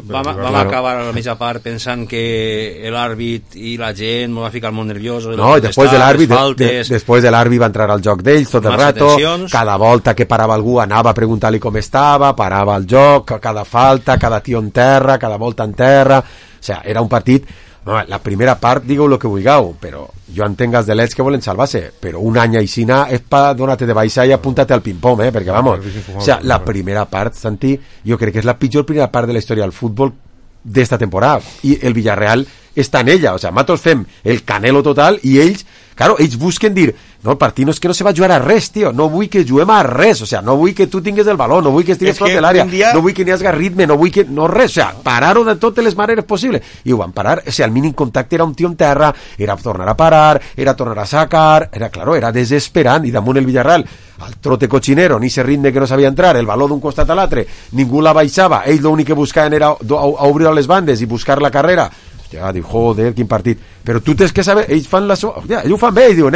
Vam acabar a la mitja part pensant que l'àrbit i la gent m'ho va ficar molt nerviós. No, i després de l'àrbit va entrar al joc d'ells tot el rato, cada volta que parava algú anava a preguntar-li com estava, parava el joc, cada falta, cada tio en terra, cada volta en terra, o sigui, era un partit... La primera part, digueu el que vulgueu, però jo entenc els de l'Elx que volen salvar-se, però un any aixina és per donar-te de baixa i apuntar-te al ping-pong, perquè vamos, o sea, la primera part, Santi, jo crec que és la pitjor primera part de la història del futbol d'esta temporada, i el Villarreal està en ella, o sea, nosaltres fem el Canelo total i ells, claro, ells busquen dir, no, el partit no és que no se va jugar a res, tio, no vull que juguem a res, o sea, no vull que tu tingues el baló, no vull que estigues prop de l'àrea, no vull que n'hi hagi ritme, no vull que, no res, o sea, parar-ho de totes les maneres possibles, i ho van parar, o sea, el mínim contacte era un tio en terra, era tornar a parar, era tornar a sacar, era, claro, era desesperant, i damunt el Villarreal, al trote cochinero, ni ese ritme que no sabia entrar, el baló d'un costat a l'altre, ningú la baixava, ells l'únic que buscaven era obrir a les bandes i buscar la carrera. Ja, diu, joder, quin partit. Però tu tens que saber, ells fan la so... Ja, ells ho fan bé, ells diuen,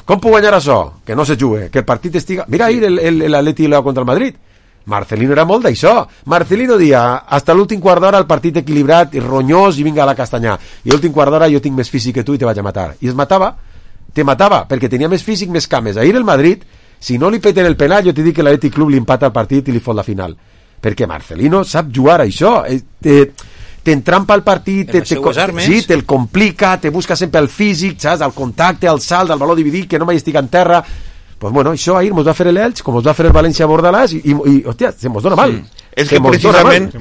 com puc guanyar això? Que no se jugue, que el partit estiga... Mira ahir l'Atleti contra el Madrid. Marcelino era molt d'això. Marcelino dia, hasta l'últim quart d'hora el partit equilibrat, i ronyós, i vinga a la castanyà. I l'últim quart d'hora jo tinc més físic que tu i te vaig a matar. I es matava, perquè tenia més físic, més cames. Ahir el Madrid, si no li peten el penal, jo t'he dit que l'Atleti Club li empata el partit i li fot la final. Perquè Marcelino sap jugar a això. T'entrampa el partit, te'l complica, te busca sempre el físic, saps? El contacte, el salt, el valor dividit, que no mai estic en terra. Pues bueno, això ahir mos va fer l'Elx, com mos va fer el València Bordalàs, i hòstia, se mos dona mal. És que precisament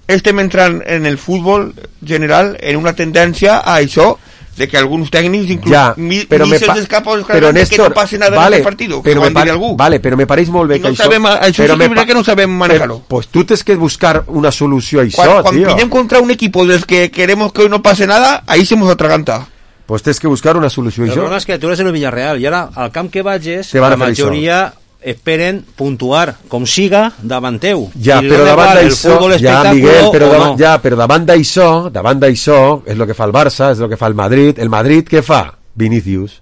estem entrant en el futbol general en una tendència a això, de que alguns tècnics inclús ni se'ls escapa que no passi nada en el partit, que ho van dir algú. Vale, però me pareix molt bé que això... Això sí que no sabem manejar-ho. Pues tu tens que buscar una solució a això, tío. Quan pillem contra un equip dels que queremos que no pase nada, ahí se nos atraganta. Pues tens que buscar una solució a això. El problema és que tu eres el Villarreal, i ara al camp que vagis, la majoria... esperen puntuar com siga davant teu. Ja, però davant d'això, però davant d'això és el que fa el Barça, és el que fa el Madrid. El Madrid què fa? Vinicius.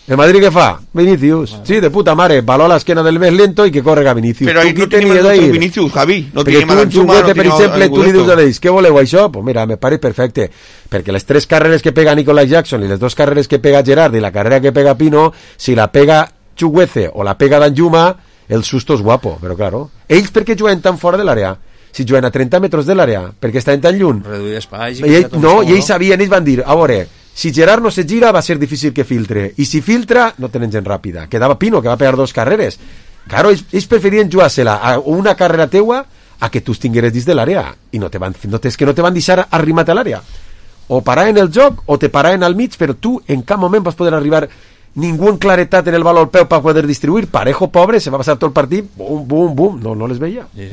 El Madrid què fa? Vinicius. Sí, de puta mare. Baló a l'esquena del més lento i que correga Vinicius. Però ahí no tenim el nostre Vinicius, Javi. No tenim a Danjuma, per exemple, tu li dius a ells, què voleu això? Pues mira, me pareix perfecte. Perquè les 3 carreres que pega Nicolás Jackson i les 2 carreres que pega Gerard i la carrera que pega Pino, si la pega Chukwueze o la pega Danjuma, el susto és guapo, però claro. Ells per què juguen tan fora de l'àrea? Si juguen a 30 metres de l'àrea, perquè estaven tan lluny. Reduir espai. I ells sabien, ells van dir, a veure, si Gerard no se gira va ser difícil que filtre, i si filtra no tenen gent ràpida. Quedava Pino, que va pegar 2 carreres. Claro, ells preferien jugar-se-la a una carrera teua a que tu tingueres dins de l'àrea, i no te van deixar arribar a l'àrea. O parar en el joc o te paraven al mig, però tu en cap moment vas poder arribar ningú en claretat en el valor al peu per poder distribuir. Parejo, pobre, se va passar tot el partit, bum, bum, bum, no les veia. Sí.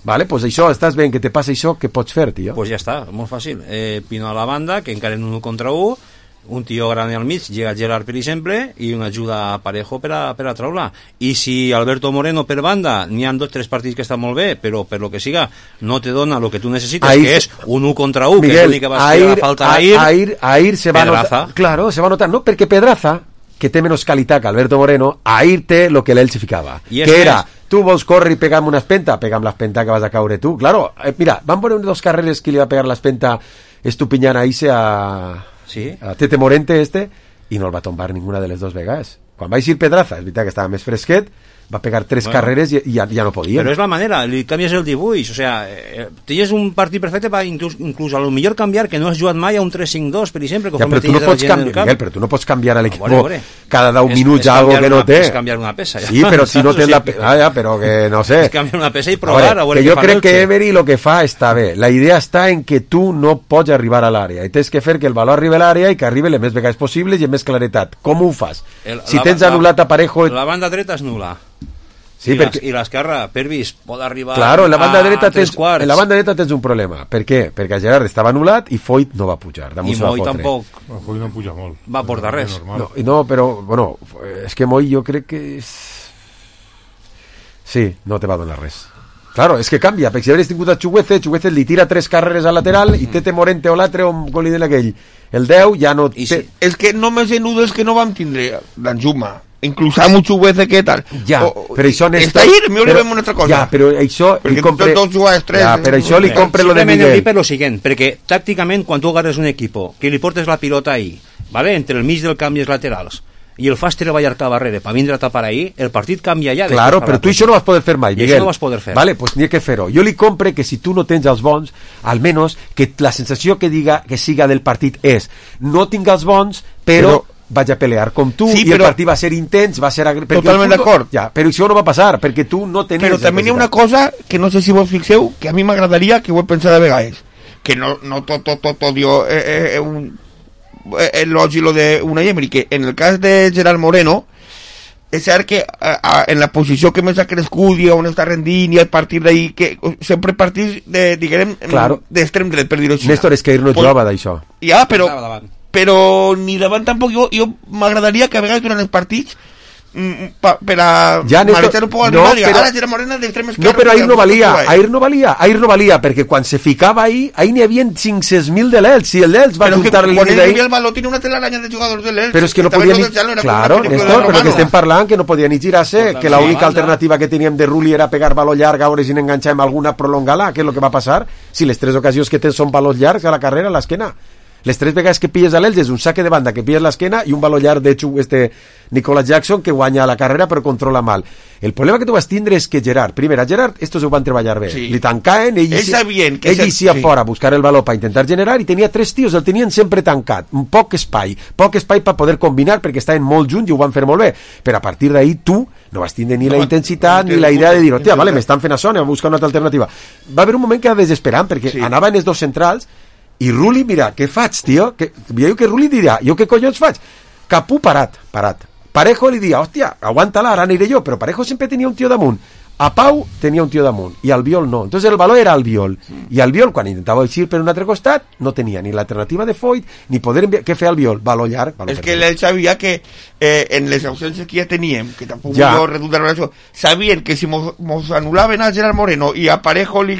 Vale, pues això, estàs veient que te passa això, què pots fer, tio? Pues ja està, molt fàcil. Pino a la banda, que encara en 1 contra 1, un tio gran al mig, llega Gerard, per exemple, i una ajuda a Parejo per a treure-la. I si Alberto Moreno per banda, n'hi ha 2 o 3 partits que estan molt bé, però per lo que siga, no te dona lo que tu necessites, que és un 1 contra 1, Miguel, que és l'únic que va fer la falta a Air se va notar, claro, se va notar, no, perquè Pedraza, que té menys qualitat que Alberto Moreno, a Air té lo que l'Elche ficava, que era, tu vols córrer i pegar una espenta, pega'm l'espenta que vas a caure tu, claro, mira, van veure 2 carreres que li va pegar l'espenta Estupiñán a Ise a Tete Morente i no el va tombar ninguna de les 2 vegades. Quan va eixir Pedraza, és veritat que estava més fresquet, va pegar 3 carreres i ja no podia. Però és la manera, li canvies el dibuix, o sea, tens un partit perfecte per inclús a lo millor canviar, que no has jugat mai a un 3-5-2, per exemple, ja, però tu no pots canviar, Miguel, però tu no pots canviar a l'equip cada 10 minuts algo que no té. És canviar una peça. Sí, però si no tens la peça, però que no sé. És canviar una peça i provar. Que jo crec que Emery lo que fa està bé. La idea està en que tu no pots arribar a l'àrea i tens que fer que el valor arribi a l'àrea i que arribi les més vegades possibles i amb més claretat. Com ho fas? Si tens anul·lat a Parejo... La banda dreta és nul·la. Sí, i l'esquerra, Pervis, pot arribar claro, en la banda dreta tens un problema. Per què? Perquè Gerard estava anul·lat i Foyt no va pujar. I Moy tampoc. Foyt no puja molt. Va portar res. No, però, bueno, és que Moy jo crec que és... Sí, no te va donar res. Claro, és que canvia, perquè si hauries tingut a Chukwueze li tira 3 carreres al lateral i Tete Morente o l'altre on li den aquell. El 10 ja no... És que només en nudes que no vam tindre Danjuma. Inclús a Chukwueze, què tal? Ja, però això... Està ahí, millor li veiem una altra cosa. Ja, però això... Perquè tots 2 jugades 3... Ja, però això li compre lo de Miguel. Per lo siguiente, perquè tàcticament, quan tu agarres un equipo, que li portes la pilota ahí, ¿vale? Entre el mig del camp i els laterals, i el fas treballar cap darrere per vindre a tapar ahí, el partit canvia ja. Claro, però tu això no vas poder fer mai, Miguel. I això no vas poder fer. Vale, pues n'hi ha que fer-ho. Jo li compre que si tu no tens els bons, almenys que la sensació que siga del partit és no tinc els bons, però vaig a pelear com tu, i el partit va ser intens, va ser... Totalment d'acord. Ja, però això no va passar, perquè tu no tenies... Però també hi ha una cosa que no sé si vos fixeu, que a mi m'agradaria que ho he pensat de vegades, que no tot odio l'ogi lo de Unai Emery, que en el cas de Gerard Moreno, és cert que en la posició que més ha crescut i on està rendint i a partir d'ahí, que sempre partits d'extrem dret, per dir-ho així. Néstor, és que no jugava d'això. Ja, però ni davant tampoc. Jo m'agradaria que a vegades durant els partits per a marejar un poc al rival, ara Gerard Moreno d'extrem esquerre. No, però ahir no valia, perquè quan se ficava ahir n'hi havia 500.000 de l'Elx, si l'Elx va juntar l'Elx d'ahir. Quan ell el baló tiene una telaraña de jugadors de l'Elx. Però és que no podia ni... Claro, Néstor, però que estem parlant que no podia ni girar-se, que l'única alternativa que teníem de Rulli era pegar baló llarg, a veure si n'enganxàvem alguna, prolongar-la, que és el que va passar, si les 3 ocasions que tens són balons llargs a la carrera, a l'esquena. Les 3 vegades que pilles a l'Elx és un saque de banda que pilles l'esquena i un baló llarg de Nicolás Jackson que guanya la carrera però controla mal. El problema que tu vas tindre és que Gerard, primer a Gerard estos ho van treballar bé, li tancaven, ell eixia fora a buscar el baló per intentar generar i tenia 3 tios, el tenien sempre tancat, un poc espai per poder combinar perquè estaven molt junts i ho van fer molt bé, però a partir d'ahir tu no vas tindre ni la intensitat ni la idea de dir, hòstia, vale, m'estan fent això, anem a buscar una altra alternativa. Va haver un moment que era desesperant perquè anaven els 2 centrals i Rulli, mira, què faig, tio? Veieu que Rulli dirà, jo què collons faig? Capú parat. Parejo li dia, hòstia, aguanta-la, ara aniré jo, però Parejo sempre tenia un tio damunt. A Pau tenia un tio damunt, i Albiol no. Entonces el valor era Albiol. I Albiol, quan intentava eixir per un altre costat, no tenia ni l'alternativa de Foyt, ni poder enviar... Què feia Albiol? Valor llarg. És que ell sabia que en les ausències que ja teníem, que tampoc jo redundar en això, sabien que si mos anul·laven a Gerard Moreno i a Parejo el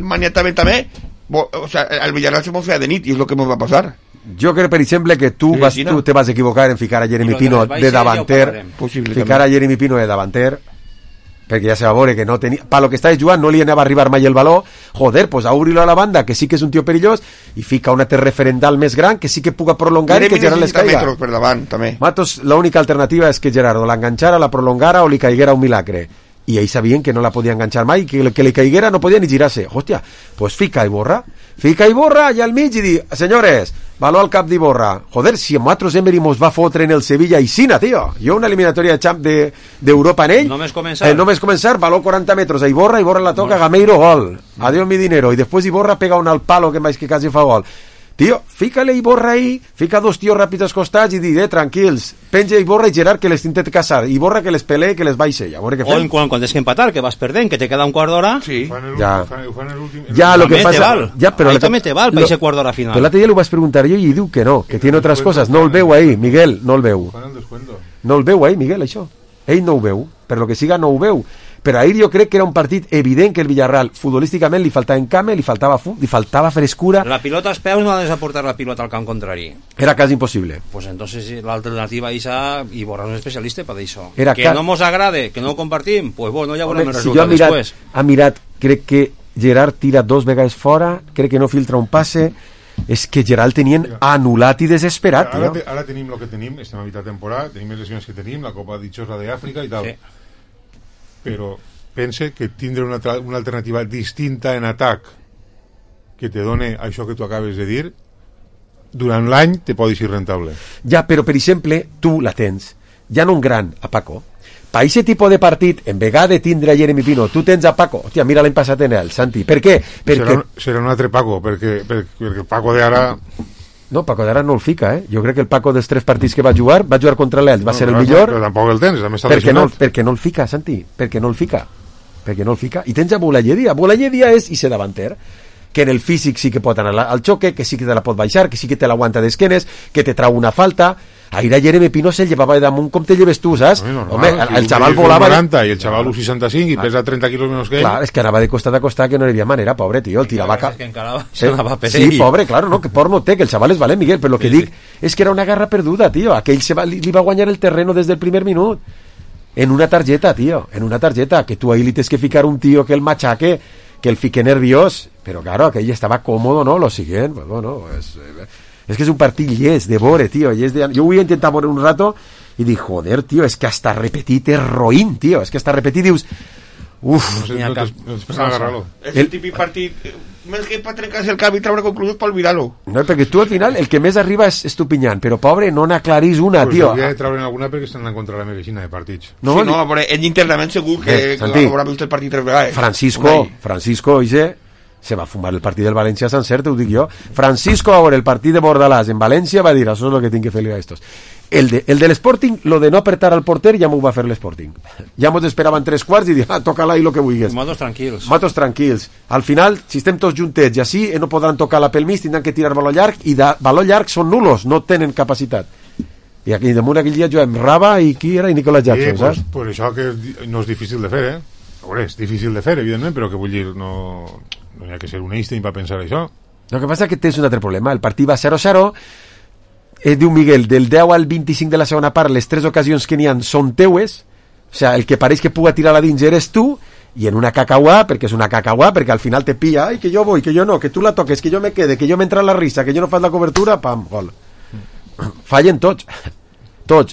maniataven també, o sea, al Villarreal se mos feia de nit, i és el que mos va passar. Jo crec, per exemple, que tu te vas equivocar en ficar a Jeremy Pino de davanter, ficar a Jeremy Pino de davanter, perquè ja se va veure que no tenia... Pa lo que estàs jugant no li anava a arribar mai el baló, joder, pues a obrir-lo a la banda, que sí que és un tio perillós, i fica un altre referendal més gran que sí que puga prolongar i que Gerard les caiga. Per davant, també. Matos, l'única alternativa és que Gerardo l'enganxara, la prolongara o li caiguera un milagre. I ells sabien que no la podia enganxar mai, que li caiguera no podia ni girar-se. Hòstia, pues fica Iborra allà al mig i di, senyores, baló al cap d'Iborra. Joder, si a nosaltres Emery mos va fotre en el Sevilla i Sina, tio. Jo una eliminatòria d'Europa en ell. Només començar, baló 40 metres a Iborra la toca, Gameiro, gol. Adiós mi dinero. I després Iborra pega un al palo que més que quasi fa gol. Tio, fica-le Iborra ahí, fica dos tios ràpids als costats i di, tranquils, penja Iborra i Gerard que les tintet casar, Iborra que les pelee, que les baixe, ja veure què fem. O quan tens que empatar, que vas perdent, que te queda un quart d'hora. Sí. Ja, lo que passa... Ahí també te val, per ese quart d'hora final. Però l'altre dia li vaig preguntar jo i diu que no, que tiene otras cosas. No el veu ahí, Miguel, no el veu. No el veu ahí, Miguel, això. Ell no ho veu, per lo que siga no ho veu. Però ahir jo crec que era un partit evident que el Villarreal futbolísticament li faltava encame, li faltava frescura. La pilota als peus no ha de desaportar la pilota al camp contrari. Era quasi impossible. Pues entonces l'alternativa Isa i Borra un especialista per això. Que no mos agrade, que no ho compartim, pues bueno, ja veurem el resultat després. Ha mirat, crec que Gerard tira 2 vegades fora, crec que no filtra un passe. És que Gerard tenien anul·lat i desesperat. Ara tenim el que tenim, estem a mitjà temporada, tenim les lesions que tenim, la Copa Dichosa d'Àfrica i tal. Sí. Però pense que tindre una alternativa distinta en atac que te done això que tu acabes de dir durant l'any te pot ser rentable. Ja, però per exemple tu la tens, ja no un gran a Paco, per aquest tipus de partit en vegada de tindre a Jeremy Pino tu tens a Paco, hòstia, mira l'any passat en el Santi, per què? Serà un altre Paco, perquè el Paco d'ara... No, Paco d'ara no el fica, Jo crec que el Paco dels 3 partits que va jugar contra l'Elx, va ser el millor. Però tampoc el tens, també està lesionat. Perquè no el fica, Santi, perquè no el fica. I tens a Boulaye Díaz i ser davanter, que en el físic sí que pot anar al xoque, que sí que te la pot baixar, que sí que te l'aguanta d'esquenes, que te trau una falta. Ahir a Jeremy Pino se'l llevava damunt com te lleves tu, saps? Home, el xaval volava... 40 i el xaval 1,65 i pesa 30 quilos menys que ell. Clar, és que anava de costat a costat que no hi havia manera, pobre, tio, el tirava... És que encara s'anava per ell. Sí, pobre, claro, no, que por no té, que el xaval és valent, Miguel, però el que dic és que era una garra perduda, tio, aquell li va guanyar el terreno des del primer minut. En una targeta, tio, que tu ahí li tens que ficar un tio que el machaque, que el fique nerviós, però claro, aquell estava còmodo, no? Lo siguiente, pues bueno, és que és un partit llest de vore, tio. Jo vull intentar veure un rato i dic, joder, tio, és que hasta repetit és roïn, tio. És que hasta repetit dius... Uf, és el típic partit més que per trencar-se el cap i treure conclusions per olvidar-lo. No, perquè tu al final el que més arriba és Estupiñán, però pobre, no n'aclarís una, tio. Pues hauria de treure alguna perquè estan en contra la medicina de partits. No, sí, no, però ell internament segur que haurà vist el partit 3 vegades. Francisco, se va fumar el partit del València sencer, t'ho dic jo. Francisco, a veure, el partit de Bordalàs en València va dir, això és el que tinc que fer-li a estos. El de l'Sporting, lo de no apretar al porter, ja m'ho va fer l'Sporting. Ja mos esperaven 3 quarts i dir, toca-la i lo que vulguis. Matos tranquils. Al final, si estem tots juntets i així, no podran tocar la pel mig, tindran que tirar baló llarg, i de baló llarg són nulos, no tenen capacitat. I aquí damunt aquell dia juguem Raba i qui era? I Nicolas Jackson, saps? Pues això que no és difícil de fer, A veure, és difícil de fer, evidentment, però que vull dir, no hi ha que ser un Einstein per pensar això. El que passa és que tens un altre problema. El partit va 0-0, diu Miguel, del 10 al 25 de la segona part, les 3 ocasions que n'hi ha són teues, o sea, el que pareix que puga tirar a dins eres tu, i en una cacahuà, perquè és una cacahuà, perquè al final te pilla, ai, que jo vull, que jo no, que tu la toques, que jo me quede, que jo m'entra la risa, que jo no fas la cobertura, pam, gol. Fallen tots.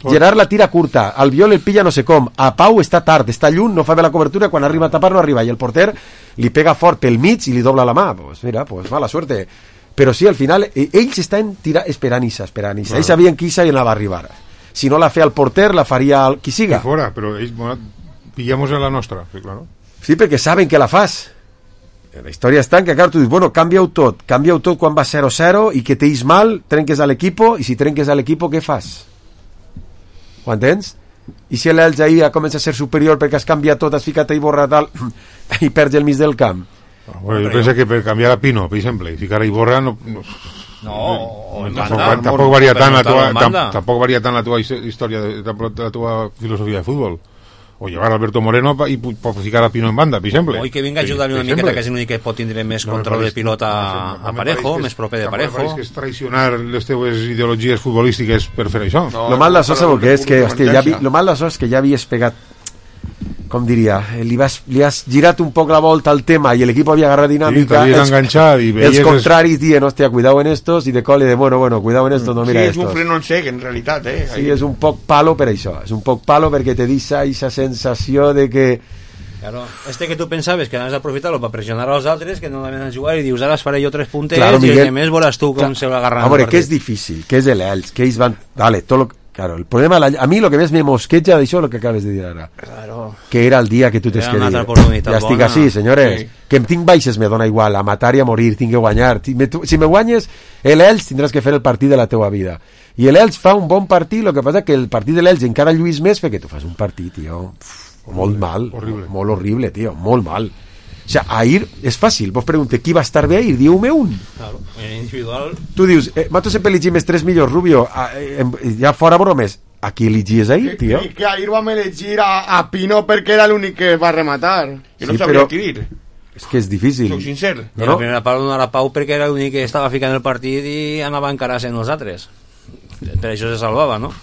Gerard la tira curta, Albiol el pilla no sé com, a Pau està tard, està lluny, no fa bé la cobertura, quan arriba a tapar no arriba, i el porter li pega fort pel mig i li dobla la mà. Pues mira, pues mala suerte. Però sí, al final ells estan esperant Isa. Ells sabien que Isa anava a arribar. Si no la feia el porter, la faria qui siga. Que fora, però ells pillamos a la nostra, sí, claro. Sí, perquè saben que la fas. La història està en que, clar, tu dius, bueno, canvia-ho tot quan va 0-0 i que t'eix mal, trenques a l'equipo, i si trenques a l'equipo, què fas? Ho entens? I si l'Elx ahir comença a ser superior perquè has canviat tot, has ficat a Iborra tal i perds el mig del camp. Bueno, jo penso que per canviar a Pino, per exemple, i ficar a Iborra tampoc varia tant la tua història, la tua filosofia de futbol. o llevar a Alberto Moreno i ficar a Pino en banda, per exemple. O que vinga a ajudar-li una miqueta, que és l'únic que pot tindre més control de pilota a Parejo, més proper de Parejo. No que és traicionar les teves ideologies futbolístiques per fer això. Lo mal d'això sabeu què és? Lo mal d'això és que ja havies pegat, com diria, li has girat un poc la volta al tema i l'equip havia agarrat dinàmica, els contraris dient, hòstia, cuidado en estos, i de col, i de bueno, cuidado en estos, no mira estos. Sí, és un freno en sec, en realitat, Sí, és un poc palo per això, és un poc palo perquè te deixa aquesta sensació de que... Claro, que tu pensaves que anaves a aprofitar-lo per pressionar als altres, que no anaven a jugar, i dius, ara faré jo 3 punters, claro, Miguel, i el que més veuràs tu com se va agarrant. A veure, que és difícil, que és l'Elx, que ells van... Vale, tot lo... Claro, el problema, a mí lo que més me mosqueja d'això lo que acabes de dir ara. Claro. Que era el dia que tu t'has que dir. Ja estic així, senyores. Sí. Que em tinc baixes me dona igual, a matar i a morir, tinc que guanyar. Si me guanyes l'Elx tindràs que fer el partit de la teua vida. I l'Elx fa un bon partit, el que passa que el partit de l'Elx encara lluís més perquè tu fas un partit, tio, molt mal, molt horrible, tio, molt mal. O sea, ahir és fàcil, vos pregunte qui va estar bé ahir, diu-me un. Claro, en individual... Tu dius, Mato sempre elegim els 3 millors, Rubio, ja fora bromes, a qui elegies ahir, tio? Que ahir vam elegir a Pino perquè era l'únic que va rematar. Jo no sabia què dir. És que és difícil. Soc sincer. No? La primera part donar a Pau perquè era l'únic que estava ficant el partit i anava a encarar-se en els altres. Per això se salvava, no?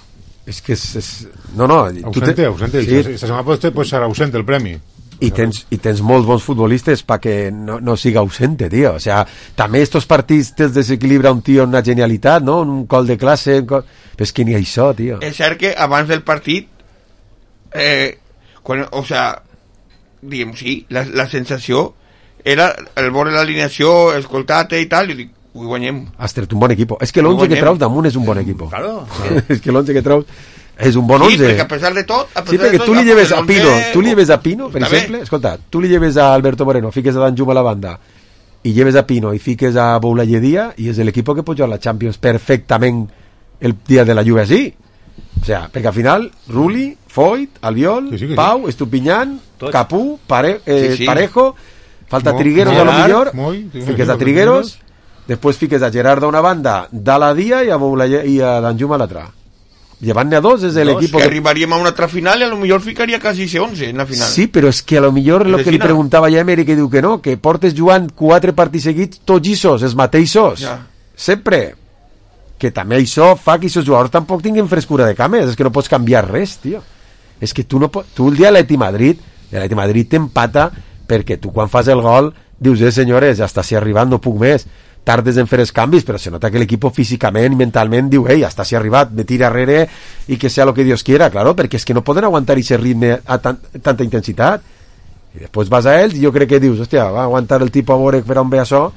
És que és... No. Ausente. Sí. Esta setmana pot ser ausente el premi. I tens molts bons futbolistes perquè no siga ausente, tio. O sea, també estos partits te'ls desequilibra un tio en una genialitat, no? Un col de classe... Però és que ni això, tio. És cert que abans del partit o sea, diguem, sí, la sensació era el veure l'alineació, escoltar-te i tal, i dic, ho guanyem. Has tret un bon equip. És que l'11 que treus damunt és un bon equip. Claro. És que l'11 que treus és un bon 11. Sí, perquè a pesar de tot... Sí, perquè tu li lleves a Pino, per exemple, escolta, tu li lleves a Alberto Moreno, fiques a Dan Juma a la banda, i lleves a Pino i fiques a Boulayedia, i és l'equip que pot jugar a la Champions perfectament el dia de la Juve així. O sea, perquè al final, Rulli, Foyt, Albiol, sí. Pau, Estupiñán, Capú, Parejo, falta Trigueros a lo millor, fiques a Trigueros, després fiques a Gerardo a una banda, Dala Dia i a Dan Juma a l'altra. Llevant-ne a 2 és l'equip que arribaríem a una altra final i a lo millor ficaria quasi 11 en la final. Sí, però és que a lo millor el que li preguntava ja a Emery, que diu que no, que portes jugant 4 partits seguits tots els mateixos, sempre, que també això fa que aquests jugadors tampoc tinguin frescura de cames, és que no pots canviar res, tio. És que tu el dia de l'Atleti Madrid t'empata perquè tu quan fas el gol dius, senyores, ja està si arribant, no puc més, tardes en fer els canvis, però se nota que l'equip físicament i mentalment diu, ja està si arribat, me tira arrere i que sea lo que Dios quiera, claro, perquè és que no poden aguantar aquest ritme a tanta intensitat. I després vas a ells i jo crec que dius, hòstia, va aguantar el tipus a veure per on ve això,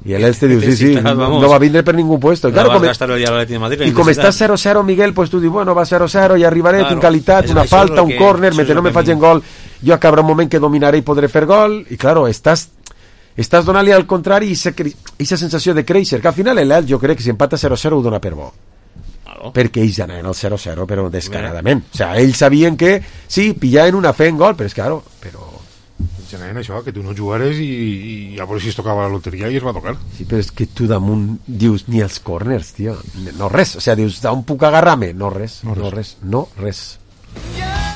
i ells te dius, sí, no va vindre per ningú puesto. Claro, i com està 0-0, Miguel, pues tu dius, bueno, va 0-0, ja arribaré, tinc qualitat, una falta, un córner, mentre no me facin gol, jo acabarà un moment que dominaré i podré fer gol, i claro, estàs donant-li al contrari aquesta sensació de créixer, que al final l'Elx jo crec que si empata 0-0 ho dona per bo. Perquè ells anaven al 0-0 però descaradament. O sigui, ells sabien que sí, pillaven una fe en gol, però és claro, però... Ells anaven això, que tu no jugares i a veure si es tocava la loteria i es va tocar. Sí, però és que tu damunt dius ni els corners, tio, no res. O sigui, dius, d'on puc agarrar-me? No res.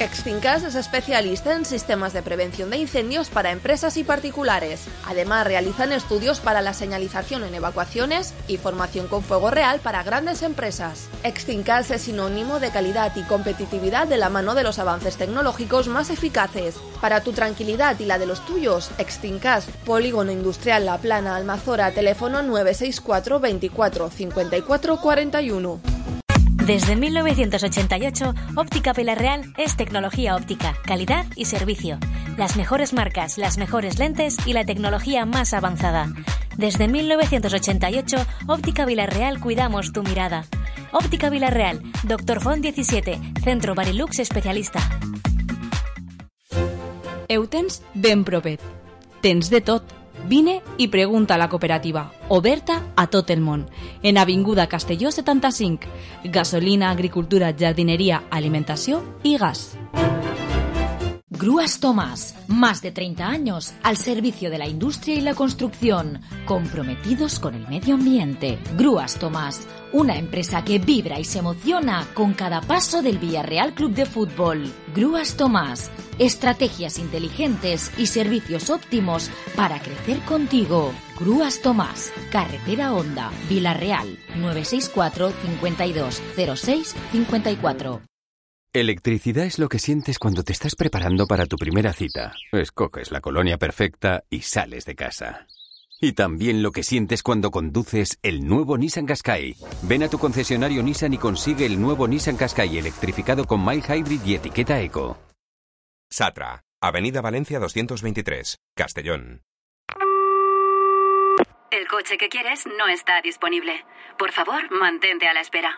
Extincas es especialista en sistemas de prevención de incendios para empresas y particulares. Además, realizan estudios para la señalización en evacuaciones y formación con fuego real para grandes empresas. Extincas es sinónimo de calidad y competitividad de la mano de los avances tecnológicos más eficaces. Para tu tranquilidad y la de los tuyos, Extincas, Polígono Industrial La Plana, Almazora, teléfono 964 24 54 41. Desde 1988, Óptica Pilar Real es tecnología óptica, calidad y servicio. Las mejores marcas, las mejores lentes y la tecnología más avanzada. Desde 1988, Óptica Pilar Real cuidamos tu mirada. Óptica Pilar Real, Dr. Font 17, Centro Barilux especialista. Eutens ben propet. Tens de tot. Vine i pregunta a la cooperativa, oberta a tot el món, en Avinguda Castelló 75, gasolina, agricultura, jardineria, alimentació i gas. Grúas Tomás, más de 30 años al servicio de la industria y la construcción, comprometidos con el medio ambiente. Grúas Tomás, una empresa que vibra y se emociona con cada paso del Villarreal Club de Fútbol. Grúas Tomás, estrategias inteligentes y servicios óptimos para crecer contigo. Grúas Tomás, Carretera Honda, Villarreal, 964 52 06 54. Electricidad es lo que sientes cuando te estás preparando para tu primera cita. Escoges la colonia perfecta y sales de casa. Y también lo que sientes cuando conduces el nuevo Nissan Qashqai. Ven a tu concesionario Nissan y consigue el nuevo Nissan Qashqai electrificado con mild hybrid y etiqueta eco. Satra, Avenida Valencia 223, Castellón. El coche que quieres no está disponible. Por favor, mantente a la espera.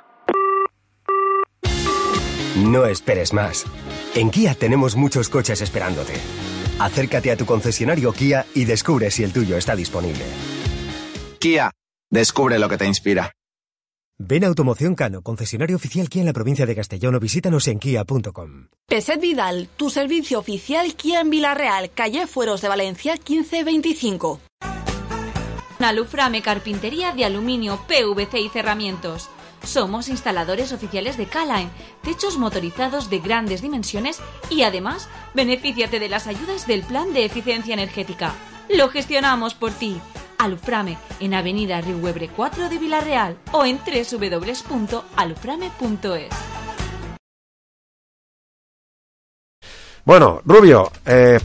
No esperes más. En Kia tenemos muchos coches esperándote. Acércate a tu concesionario Kia y descubre si el tuyo está disponible. Kia, descubre lo que te inspira. Ven a Automoción Cano, concesionario oficial Kia en la provincia de Castellón, o visítanos en kia.com. Peset Vidal, tu servicio oficial Kia en Villarreal, calle Fueros de Valencia 1525. Aluframe Carpintería de Aluminio, PVC y Cerramientos. Somos instaladores oficiales de K-Line, techos motorizados de grandes dimensiones y además, benefíciate de las ayudas del Plan de Eficiencia Energética. Lo gestionamos por ti. Aluframe, en Avenida Riuebre 4 de Villarreal o en www.aluframe.es. Bueno, Rubio,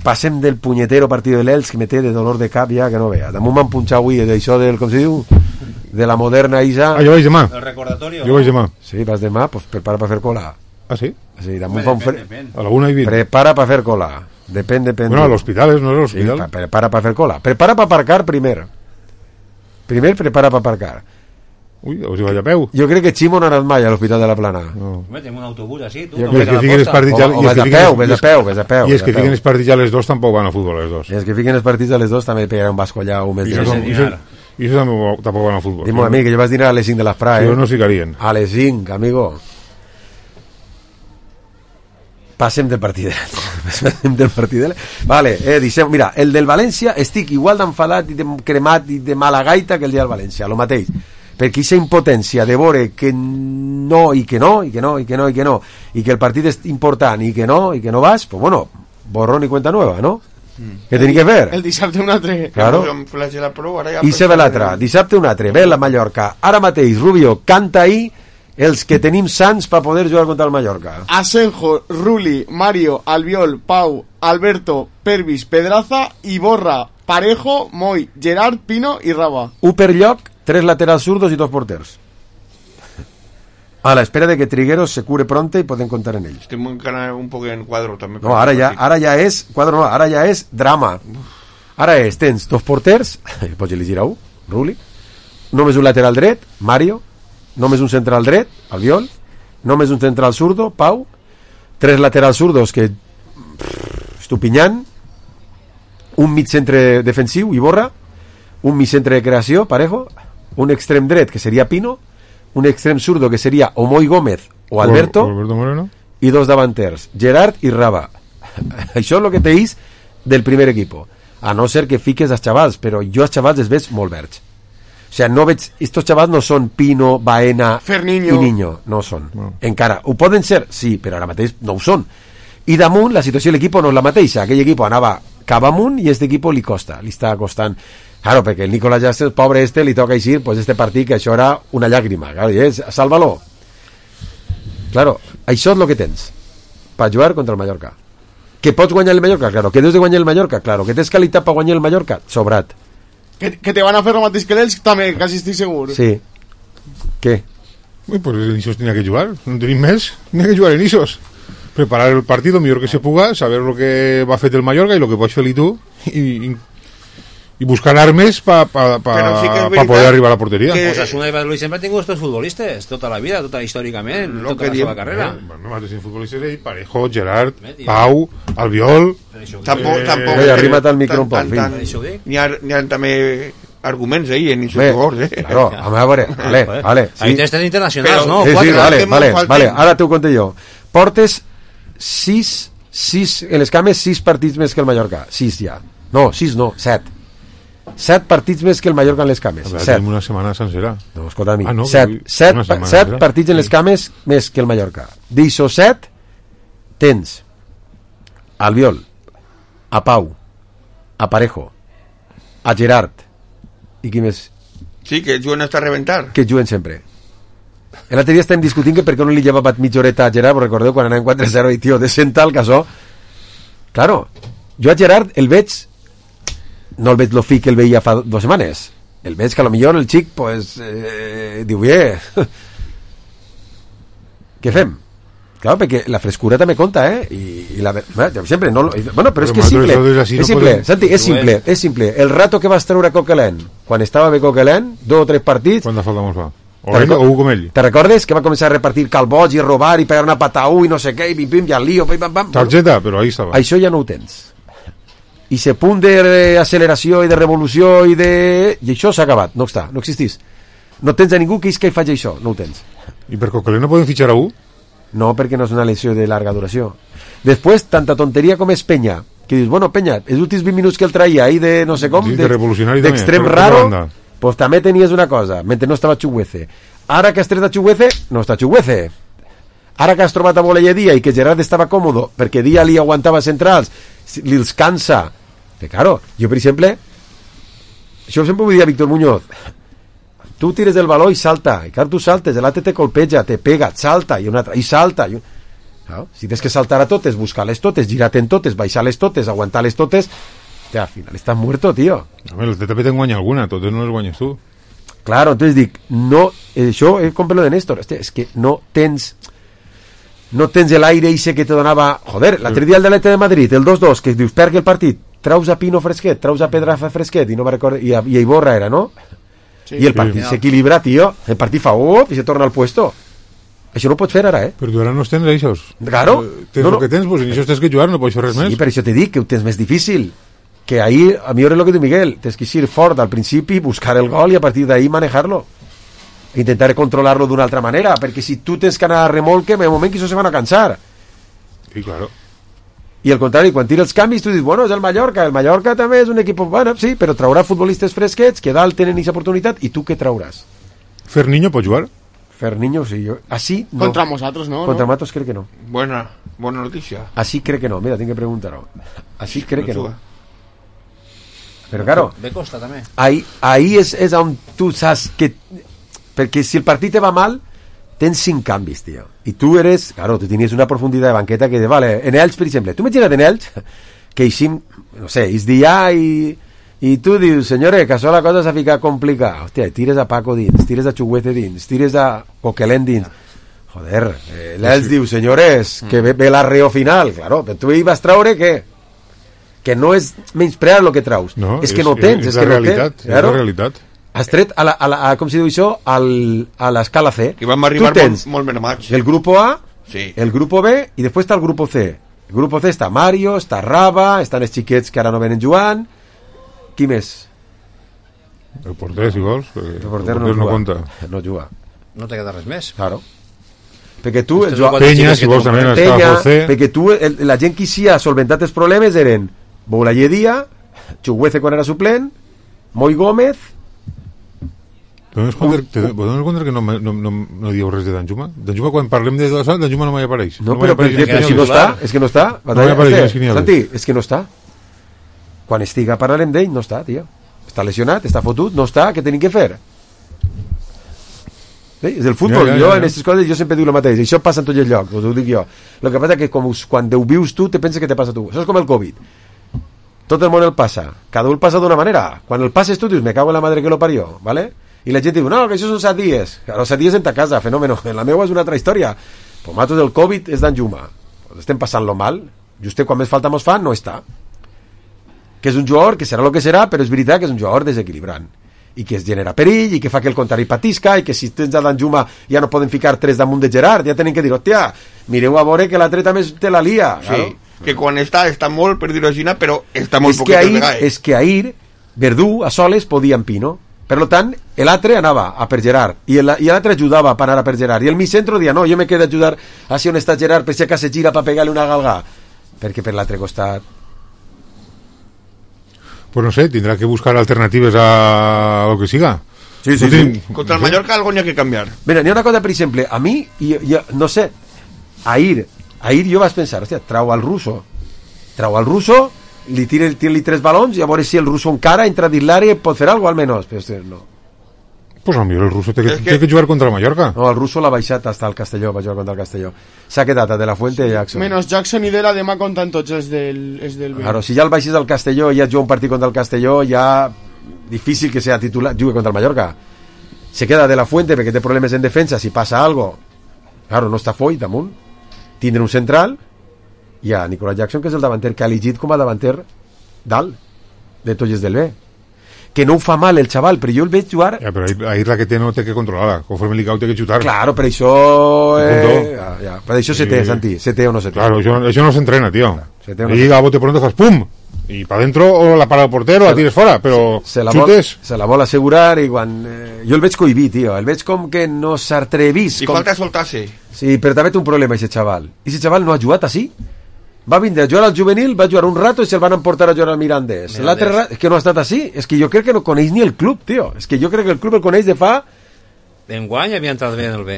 passem del punyetero partido de l'Elx que me té de dolor de cap ja que no vea. Damunt m'han punxat avui d'això del, com se diu, de la moderna Isa. Ah, jo vaig demà. El recordatorio. Jo vaig demà. Sí, vas demà, pues prepara per fer cola. Ah, sí? Sí, damunt fa un a la 1:20. Prepara per fer cola. Depèn. Bueno, a l'hospital, no és l'hospital. Sí, prepara per fer cola. Prepara per aparcar primer. Primer prepara per aparcar. Ui, o si vaig a peu. Jo crec que Ximo no ha anat mai a l'Hospital de la Plana. No. Metem un autobús així, tu. I és que fiquen els partits ja... O ves a peu. I és que fiquen els partits ja a les 2 tampoc van a futbol a les 2. I és que fiquen els partits a les 2 també pegarà un basco allà un mes. I això tampoc van a futbol. Dime a mi que jo vas dinar a les 5 de l'Esprà, Jo no s'hi ficarien. A les 5, amigo. Passem del partidet. Vale, deixem... Mira, el del València estic igual d'enfadat i de cremat i de mala gaita que el dia del València, lo mateix. Perquè aquesta impotència de veure que no, i que no, i que no, i que no, i que no, i que el partit és important, i que no vas, pues bueno, borrón i cuenta nueva, no? Què tenia que fer? El dissabte un altre. Claro. I se ve l'altre, dissabte un altre, ve la Mallorca. Ara mateix, Rubio, canta ahí els que tenim sants per poder jugar contra el Mallorca. Asenjo, Ruli, Mario, Albiol, Pau, Alberto, Pervis, Pedraza, Iborra, Parejo, Moy, Gerard, Pino i Raba. Un per lloc, 3 laterals zurdos y 2 porters. A la espera de que Trigueros se cure pronto y pueden contar en ells. Estem encara un poc en quadro també. No, ara ja és quadro, no, ara ja és drama. Ara tens 2 porters, pots elegir a un, Ruli, només un lateral dret, Mario, només un central dret, Albiol, només un central zurdo, Pau, 3 laterals zurdos que Estupinyant, un mig centre defensiu, Iborra, un mig centre de creació, Parejo, un extrem dret que seria Pino, un extrem zurdo que seria o Moy Gómez o Alberto, Moreno, i 2 davanters, Gerard i Raba. Això és el que teis del primer equipo, a no ser que fiques als xavals, però jo als xavals els veig molt verds. O sea, no veig, estos xavals no són Pino, Baena Ferniño i Niño, no són. Encara, ho poden ser, sí, però ara mateix no ho són. I damunt la situació de l'equip no és la mateixa. Aquell equip anava cap amunt i este equip li costa, li està costant. Claro, perquè el Nicolás Jastres, pobre li toca eixir, pues este partit que això era una llàgrima, claro, i és, sálvalo. Claro, això és el que tens per jugar contra el Mallorca. Que pots guanyar el Mallorca, claro, que deus de guanyar el Mallorca, claro, que tens qualitat per guanyar el Mallorca, sobrat. Que te van a fer el mateix que l'Elx, també, quasi estic segur. Sí. Què? Pues el Isos tenía que jugar, no tenim més, tenía que jugar en Isos. Preparar el partido mejor que se puga, saber lo que va a hacer el Mallorca y lo que pots fer tú y buscar armes para poder arribar a la portería. Osasuna y Valladolid siempre han tenido estos futbolistas toda la vida, toda històricament, tota la seva carrera. No más de futbolistas de Parejo, Gerard, Pau, Albiol. Tampoc arrima't al micro un poc, n'hi ha també arguments ahí en esos jugadors, Claro, a veure, vale. Ahí tens internacionals, no? Sí, vale, ara t'ho conté jo. Portes 6 en les cames 6 partits més que el Mallorca. 6 ja. No, 6 no, 7. 7 partits més que el Mallorca en les cames. 7. Tenim una setmana sencera. No, escolta, amic. no, 7 partits en les cames més que el Mallorca. D'això 7 tens a Albiol, a Pau, a Parejo, a Gerard i qui més? Sí, que juguen hasta reventar. Que juguen sempre. L'altre dia estem discutint que per què no li llevava mitja horeta a Gerard, però recordeu quan anàvem 4-0 i tio, de sentar el casó. Claro, jo a Gerard el veig, no el veig lo fi que el veia fa 2 setmanes, el veig que a lo millor el xic pues, diu, què fem? Claro, perquè la frescura també compta, I la sempre no, bueno, però és que és simple, és simple, Santi, és simple. El rato que vas treure Coquelin, quan estava bé Coquelin, 2 o 3 partits. Quanta falta mos fa? O com ell. Te recordes que va començar a repartir calboig i robar i pegar una pataú i no sé què, i pim, i al lío, pim, pam, pam. Targeta, però ahí estava. Això ja no ho tens. I se punt d'acceleració i de revolució i això s'ha acabat, no està, no existís. No tens a ningú que isca i faci això, no ho tens. I per Coquelin no podem fitxar a un? No, perquè no és una lesió de llarga duració. Després, tanta tonteria com és Penya, que dius, bueno, Penya, els últims 20 minuts que el traia ahí de no sé com, sí, d'extrem raro, pues també tenies una cosa, mentre no estava Chuguece. Ara que has tret a Chuguece, no està Chuguece. Ara que has trobat a Boleyedia i que Gerard estava còmodo, perquè Dia li aguantava centrals, li els cansa. Que claro, jo per exemple, això sempre ho dia Víctor Muñoz, tu tires el baló i salta, i clar, tu saltes, l'altre te colpeja, te pega, salta, i un altre, i salta. No? Si tens que saltar a totes, buscar-les totes, girar-te en totes, baixar-les totes, aguantar-les totes, al final estàs muerto, tío. Home, el també te'n guanya alguna, totes no les guanyes tu. Claro, entonces dic, no, això és com lo de Néstor, és que no tens l'aire ese que te donava, joder, l'altre dia el de l'Atlètic de Madrid, el 2-2, que dius, perdi el partit, traus a Pino fresquet, traus a Pedraza fresquet, i no me recordo, i a Iborra era, no? Sí, i el partit s'equilibra, tio, el partit fa i se torna al puesto. Això no ho pots fer ara, Però tu ara no tens això. Claro. Tens el que tens, pues en això tens que jugar, no pots fer res més. Sí, per això te dic que ho tens més difícil. Que ahí, a mi és el que diu Miguel, tens que ser fort al principi, buscar el gol i a partir d'ahí manejar-lo. Intentar controlar-lo d'una altra manera, perquè si tu tens que anar a remolque, en el moment que això se van a cansar. Sí, claro. I al contrari, quan tira els canvis tu dius, bueno, és el Mallorca també és un equip, bueno, sí, però traurà futbolistes fresquets que dalt tenen aquesta oportunitat, i tu què trauràs? Ferniño pot jugar? Ferniño, sí, yo así no. Contra nosotros, ¿no? Contra Matos creo que no. Buena noticia. Así creo que no, mira, tengo que preguntar. Así creo que no. Pero claro, de Costa també. Ahí és on tu saps que... Perquè si el partit te va mal, tens 5 canvis, tio. I tu eres... Claro, tu tenies una profunditat de banqueta que... Vale, en Elx, per exemple. Tu imagina't en Elx, que eixim, no sé, és dia i tu dius, senyores, que això la cosa s'ha ficat complicada. Hòstia, tires a Paco dins, tires a Chuguete dins, tires a Coquelin dins. Joder, l'Elx diu, senyores, que ve l'arreo final. Claro, però tu hi vas traure què? Que no és menysprear el que traus. No, és que no tens. És la realitat. És la realitat. Has tret com se diu això, a l'escala C. Que vam arribar molt menys. El grupo A, sí. El grupo B, i després està el grupo C. El grupo C està Mario, està Raba, estan els xiquets que ara no venen jugant. Qui més? El porter, si vols. El porter no compta. No juga. No te queda res més. Claro. Perquè tu... Penya, si vols, també estava José. Perquè tu, la gent que sí ha solventat els problemes eren Boulayedia, Chuguece quan era suplent, Moi Gómez... Podem compte que no dieu res de Danjuma? Danjuma, quan parlem de Dossal, Danjuma no m'hi apareix. No, però si no està, és que no està. No m'hi apareix, Santi, és que no està. Quan estiga parlarem d'ell, no està, tio. Està lesionat, està fotut, no està, què tenim que fer? Sí, és el futbol, jo en aquestes coses jo sempre dic el mateix, això passa en tots els llocs, us ho dic jo. El que passa és que quan ho vius tu, te penses que te passa a tu. Això és com el Covid. Tot el món el passa, cada un el passa d'una manera. Quan el passes tu dius, me cago en la madre que lo parió, ¿vale? I la gent diu, no, que això són 7 dies. Claro, 7 dies en ta casa, fenómeno. En la meva és una altra història. Pues matos del Covid és d'Anjuma. Pues estem passant-lo mal. Just quan més falta mos fa, no està. Que és un jugador, que serà el que serà, però és veritat que és un jugador desequilibrant. I que es genera perill, i que fa que el contrari patisca, i que si tens a d'Anjuma ja no poden ficar 3 damunt de Gerard, ja tenen que dir, hòstia, mireu a veure que l'altre també te la lia. Sí, claro. Que quan està molt, per dir-ho així, però està molt poquet de vegades. És que ahir Verdú a soles podia en Pino. Per tant, l'altre anava a per Gerard i l'altre ajudava per anar a per Gerard i el mi centro dia, no, jo me quedo a ajudar així on està Gerard per si acaso gira per pegar-li una galgà. perquè per l'altre costat pues no sé, tendrá que buscar alternativas a lo que siga. Sí. Contra el Mallorca algo n'hi ha que canviar. Mira, n'hi ha una cosa, per exemple, a mi, no sé, ahir jo vaig pensar, hòstia, trau al russo, li tira-li 3 balons i a veure si el russo encara entra dins l'àrea i pot fer alguna cosa, almenys. Però, hòstia, no. Pues a mi el russo té que jugar contra el Mallorca. No, el russo l'ha baixat hasta el Castelló, va jugar contra el Castelló. S'ha quedat a De La Fuente i Jackson. Menos Jackson i Dela demà compten tots els del B. Claro, si ja el baixes al Castelló i ja juga un partit contra el Castelló, ja difícil que sea titular, jugue contra el Mallorca. Se queda De La Fuente perquè té problemes en defensa, si passa algo. Claro, no està Foyt damunt. Tindre un central i a Nicolas Jackson, que és el davanter que ha elegit com a davanter dalt de Tolles del B. Que no ho fa mal el xaval, però jo el veig jugar... Ja, però ahir la que té no té que controlar-la. Conforme li cau té que xutar. Claro, per això... Per això se té, Santi. Se té o no se té. Claro, això no s'entrena, tío. No y a bote pronto fas pum. Y para adentro o la para el portero o la tires fora, però xutes. Se la vol assegurar i quan... Jo el veig cohibit, tio. El veig com que no s'atrevís. I falta soltar-se. Sí, però també té un problema, aquest xaval. Aquest xaval no ha jugat així. Va vindre a jugar al juvenil, va jugar un rato i se'l van emportar a jugar al Mirandés. L'altre rato, és que no ha estat així. És que jo crec que no coneix ni el club, tio. És que jo crec que el club el coneix de fa... D'enguany havia entrat bé en el B.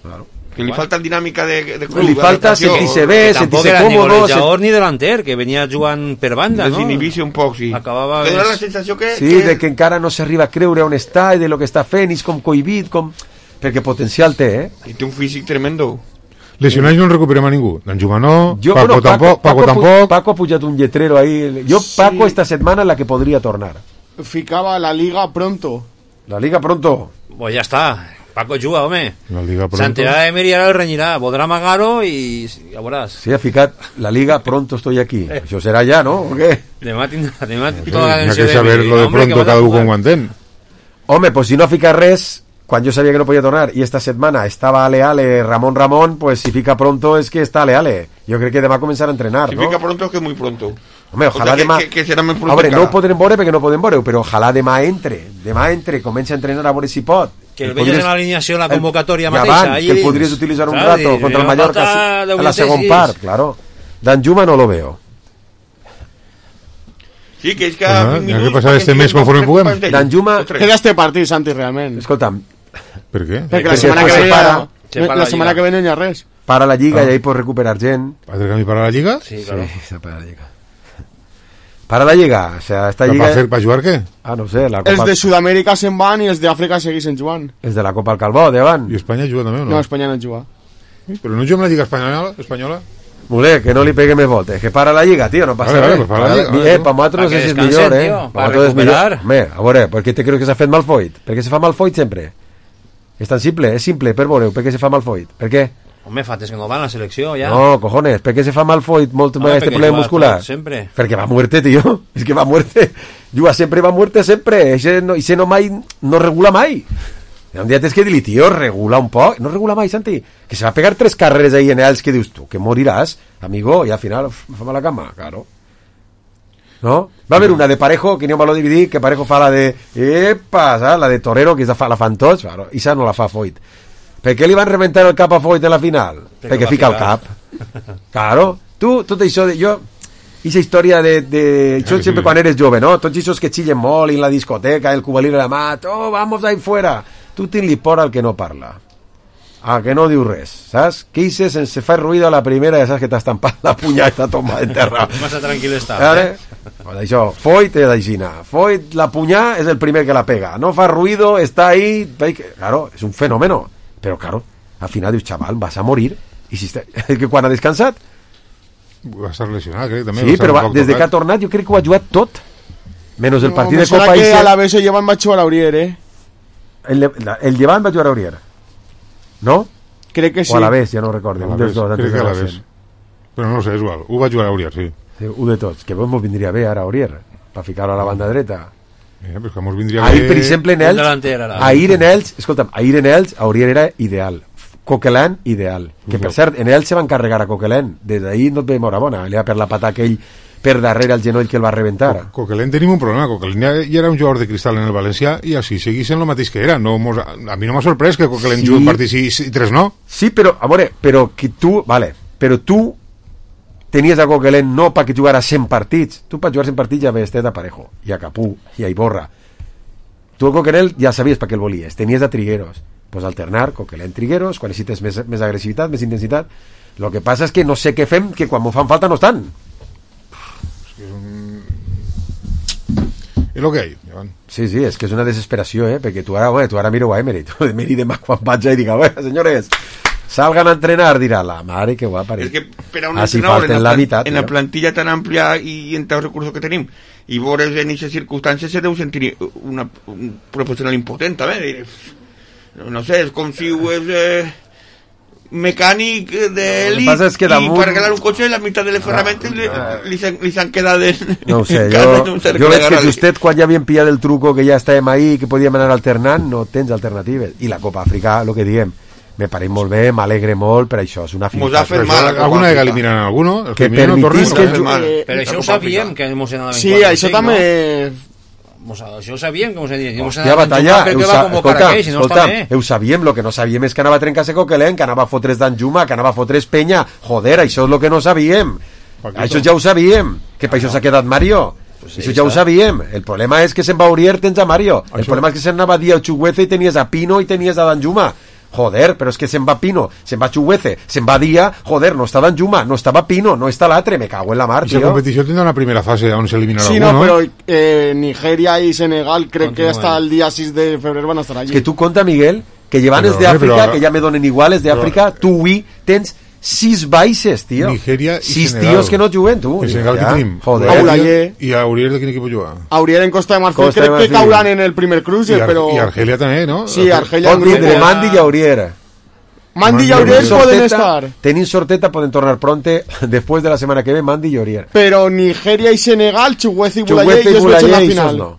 Claro. Que li falta dinàmica de club. Li falta sentir-se bé, sentir-se còmodo. Ni golejador ni delanter, que venia jugant per banda, no? Desinhibir-se un poc, sí. Acabava... Que dona la sensació que... Sí, de que encara no s'arriba a creure on està i de lo que està fent, i és com cohibit, com... Perquè potencial té, I té un físic tremendo. Lesionats no en recuperem a ningú. D'Anjuma no, Paco tampoc. Paco ha pujat un lletrero ahí. Paco esta setmana la que podria tornar. Ficava la Liga pronto. La Liga pronto. Pues ja està. Paco juga, home. La Liga pronto. S'enterarà de Meri i ara el renyirà. Voldrà amagar-ho i ja veuràs. Sí, ha ficat la Liga pronto estoy aquí. Això serà ja, no? O què? Demà tindrà tota la atenció de Meri. Hi ha que saber lo de pronto cada un com ho entén. Home, pues si no ha ficat res... Quan jo sabia que no podia tornar i esta setmana estava ale Ramón, pues si fica pronto es que está ale. Jo crec que demà començarà a entrenar, si ¿no? Si fica pronto es que muy pronto. Home, ojalà demà... Que serà més pronto. A veure, no ho podrem veure perquè no podem veure, però ojalà demà entre, comença a entrenar a veure si pot. Que el veies en l'alineació, en la convocatòria mateixa. Abans, que el podries utilitzar un rato contra el Mallorca a la segon part, claro. D'Anjuma no lo veo. Sí, que és que... Hi ha que passar este mes conforme puguem. D'Anjuma... Queda este partit, Santi, realment. Escolta'm, per què? Perquè la setmana que ve no hi ha res. Para la Lliga i ahí pots recuperar gent. ¿Has de camí para la Lliga? Sí, claro. Sí, para la Lliga. Para la Lliga, o sea, esta Lliga... ¿Para jugar què? Ah, no sé, la Copa... Els de Sud-amèrica se'n van i els d'Àfrica segueixen jugant. Els de la Copa al Calbó, de van. I Espanya juga també o no? No, Espanya no juga. Però no juga amb la Lliga espanyola? Mule, que no li pegue més voltes, que para la Lliga, tío, no passa res. Pues para la Lliga. Pa nosaltres no sé si és millor, Para recuperar. Home, a veure, per què te creus que s'ha fet Malfoit? Per què se fa Malfoit sempre? És tan simple, és simple, per veure, per què se fa Malfoit? Per què? Home, fates que no va a la selecció, ja. No, cojones, per què se fa Malfoit molt este problema muscular? Sempre. Perquè va a muerte, tío. És que va a muerte. Juga sempre, va a muerte sempre. Ese no mai, no regula mai. Un dia tens que dir-li, tio, regula un poc. No regula mai, Santi. Que se va a pegar 3 carreres ahí en els que dius tu, que moriràs, amigo, i al final fa mala cama, claro. ¿No? Va a haver una de Parejo, que no me lo dividir, que Parejo fa la de... Epa, ¿sabes? La de Torero, que la fan tots, claro, i esa no la fa Foyt. Per què li van reventar el cap a Foyt en la final? Perquè fica el cap. Claro. Tu, tot això de... Jo... Ixa història de això sempre quan eres jove, no? Tots aquests que xillen molt en la discoteca, el cubalí de la mà, oh, vamos ahí fuera. Tu ten-li por al que no parla. Al que no diu res, saps? Que hice sense fa ruido a la primera, ja saps que t'has tampat la punya i està tomada en terra. Massa tranquil està. Pues això, Foyt és d'aixina. Foyt, la punya és el primer que la pega. No fa ruido, està ahí... Claro, és un fenómeno. Però, claro, al final dius, xaval, vas a morir. I si que quan ha descansat... Va estar lesionat, crec, també. Sí, però des que ha tornat jo crec que ho ha jugat tot. Menos el partit de Copa i... a la vez el Llevant va jugar a Aurier, El Llevant va jugar a Aurier. ¿No? Crec que sí. O a la vez, ja no recordo. Crec que a la vez. Però no sé, és igual. Ho va jugar a Aurier, sí. Un de tots. Que vos vindria bé ara a Aurier, per ficar-ho a la banda dreta. Pues que mos vindria ahir, bé... per exemple, en Elx... Ahir en Elx, escolta'm, ahir en Elx, Aurier era ideal. Coquelin, ideal. Que per cert, en ell se va encarregar a Coquelin. Des d'ahir no et ve morabona. Li va per la pata aquell per darrere el genoll que el va reventar. Coquelin tenim un problema. Coquelin ja era un jugador de cristal en el València i així seguís en el mateix que era. No, a mi no m'ha sorprès que Coquelin jugui un partit i 3 no. Sí, però, a veure, però que tu... Vale, però tu tenies a Coquelin no perquè jugara 100 partits. Tu per jugar 100 partits ja ves a Parejo, i a Capú, i a Iborra. Tu a Coquelin ja sabies per què el volies, tenies a Trigueros. Pues alternar Coquelin Trigueros, quan necessites més agressivitat, més intensitat. Lo que passa és que no sé què fem, que quan m'ho fan falta no estan. És el que hi ha. Sí, és que és una desesperació, perquè tu ara miro a Emery, Emery demà quan vaig i diga, senyores, salgan a entrenar, dirà la mare que guapa. Es que per a un entrenador en la plantilla tan amplia y en todos los recursos que tenim y vos en esas circunstancias se deu sentir un profesional impotente, no sé, és com si és mecànic d'elit es que damunt... i per arreglar un cotxe la meitat de les ferramentes li s'han quedat no ho sé, jo veig que justet quan ja havien pillat el truco que ja estàvem ahí, que podíem anar alternant, no tens alternatives, i la Copa Àfrica, el que diem, me pareix molt bé, m'alegre molt per això, és una finta. Alguna vegada eliminan alguno? Que permitís que... Però això ho sabíem, que mos anaven sí, això també... Això ho sabíem, com se diria. Hòstia, batalla, ho sabíem, el que no sabíem és que anava a trencar-se Coquelin, que anava a fotre's d'Anjuma, que anava a fotre's Penya. Joder, això és el que no sabíem. Això ja ho sabíem, que per això s'ha quedat Mario. Això ja ho sabíem. El problema és que se'n va Aurier, tens a Mario. El problema és que se'n anava a dir a Chuguece i tenies a Pino i tenies a Danjuma. Joder, però és que se'n va Pino, se'n va Chuguece, se'n va Dia, joder, no estava Danjuma, no estava Pino, no està l'altre, me cago en la mar, tio. La competició tindrà una primera fase on s'eliminarà sí, algú, no? Però Nigeria i Senegal crec que hasta el dia 6 de febrer van estar allí. És que tu conta, Miguel, que llevan els d'Àfrica, que ja me donen igual, els d'Àfrica, tu avui tens 6 baixes, tio. Nigeria i 6 Senegal. Tios que no juguen, tu. El Senegal que tenim. Joder. Aulayer. I Aurier de quin equip juga? Aurier en Costa de Marfil, crec que cauran en el primer cruce, però... I Argelia també, no? Sí, Argelia en grupo. Entre Mandi i Aurier. Mandi y Aurier pueden estar. Tenin sorteta, pueden tornar pronte. Después de la semana que ve, Mandi y Aurier. Pero Nigeria y Senegal, Chuguece y Boulaye, ellos lo echan la final. No.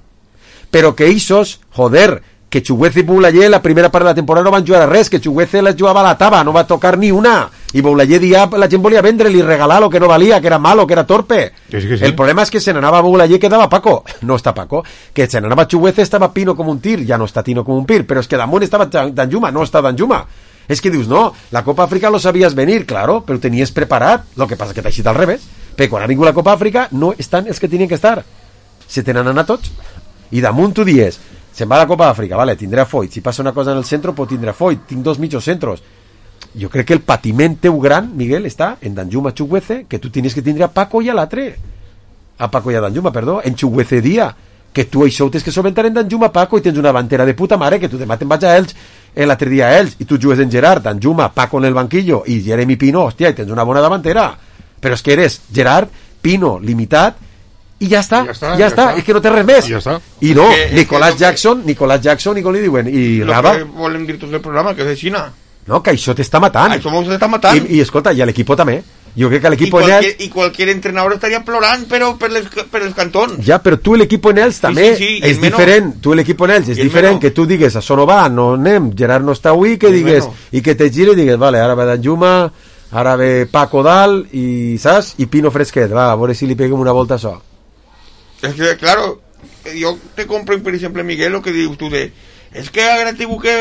Pero que Isos, joder, que Chuguece y Boulaye la primera part de la temporada no van jugar a res, que Chuguece les jugava a la taba, no va tocar ni una. Y Boulaye dia la gent volia vendre, li regalar lo que no valía, que era malo, que era torpe. Que sí. El problema es que se n'anava Boulaye, quedava Paco. No està Paco. Que se n'anava Chuguece, estava Pino com un tir, ja no està Tino com un pir, però és que damunt estava Danjuma, no està Danjuma. Es que dius, no, la Copa Àfrica lo sabías venir, claro, pero tenías preparat, lo que pasa que t'ha eixit al revés, perquè quan ha vingut la Copa Àfrica no estan els que tenien que estar, se tenen anat tots, i damunt tu dies, se'n va a la Copa Àfrica, vale, tindrà Foyt, si passa una cosa en el centro, pues tindrà Foyt, tinc 2 mitjos centros. Jo crec que el patiment teu gran, Miguel, està en Danjuma Chuguece, que tu tenies que tindre a Paco i a l'altre, a Paco i a Danjuma, perdó, en Chuguece dia, que tu això ho tens que solventar en Danjuma Paco i tens una davantera de puta mare, que tu demà te'n vaig a Elx, l'altre dia a Elx, i tu jugues en Gerard, Danjuma, Paco en el banquillo i Jeremy Pino, hòstia, i tens una bona davantera, però és que eres Gerard, Pino, limitat, i ja està, és que no té res més. I no, Nicolás Jackson, i com li diuen, i Raba. Lo que volen dir tots del programa, que és de Xina. No, que això t'està matant. Això t'està matant. I escolta, i l'equip també. Jo crec que l'equip en Els... I qualsevol entrenador estaria plorant però per els cantons. Ja, però tu l'equip en Els també és diferent. Tu l'equip en Els és diferent que tu digues, això no va, no anem, Gerard no està avui, que digues, i que te gire i digues, vale, ara va Danjuma, ara ve Paco dalt, i saps? I Pino fresquet, va, a veure si li peguem una volta a això. És que, claro, jo te compro, per exemple, Miguel, lo que dius tu de... Es que ara tinc que...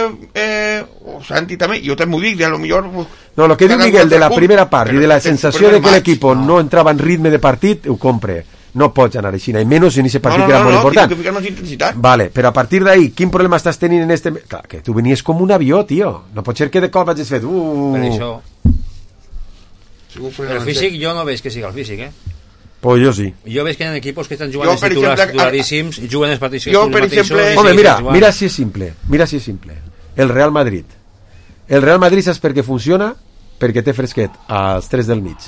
o Santi també, jo també ho dic, de a lo millor... No, lo que diu Miguel de la primera part i de la sensació de que l'equip no entrava en ritme de partit, ho compre. No pots anar així, i menys en aquest partit que era molt important. No, ficar-nos intensitat. Vale, però a partir d'ahí, quin problema estàs tenint en este... Clar, que tu venies com un avió, tio. No pot ser que de cop hagis fet... Per això... El físic, jo no veig que siga el físic, Pues jo sí. Jo veig que hi ha equipos que estan jugant els titulars titularíssims i juguen els partits. Jo, per exemple... Home, mira si és simple. El Real Madrid. El Real Madrid saps per què funciona? Perquè té fresquet als 3 del mig.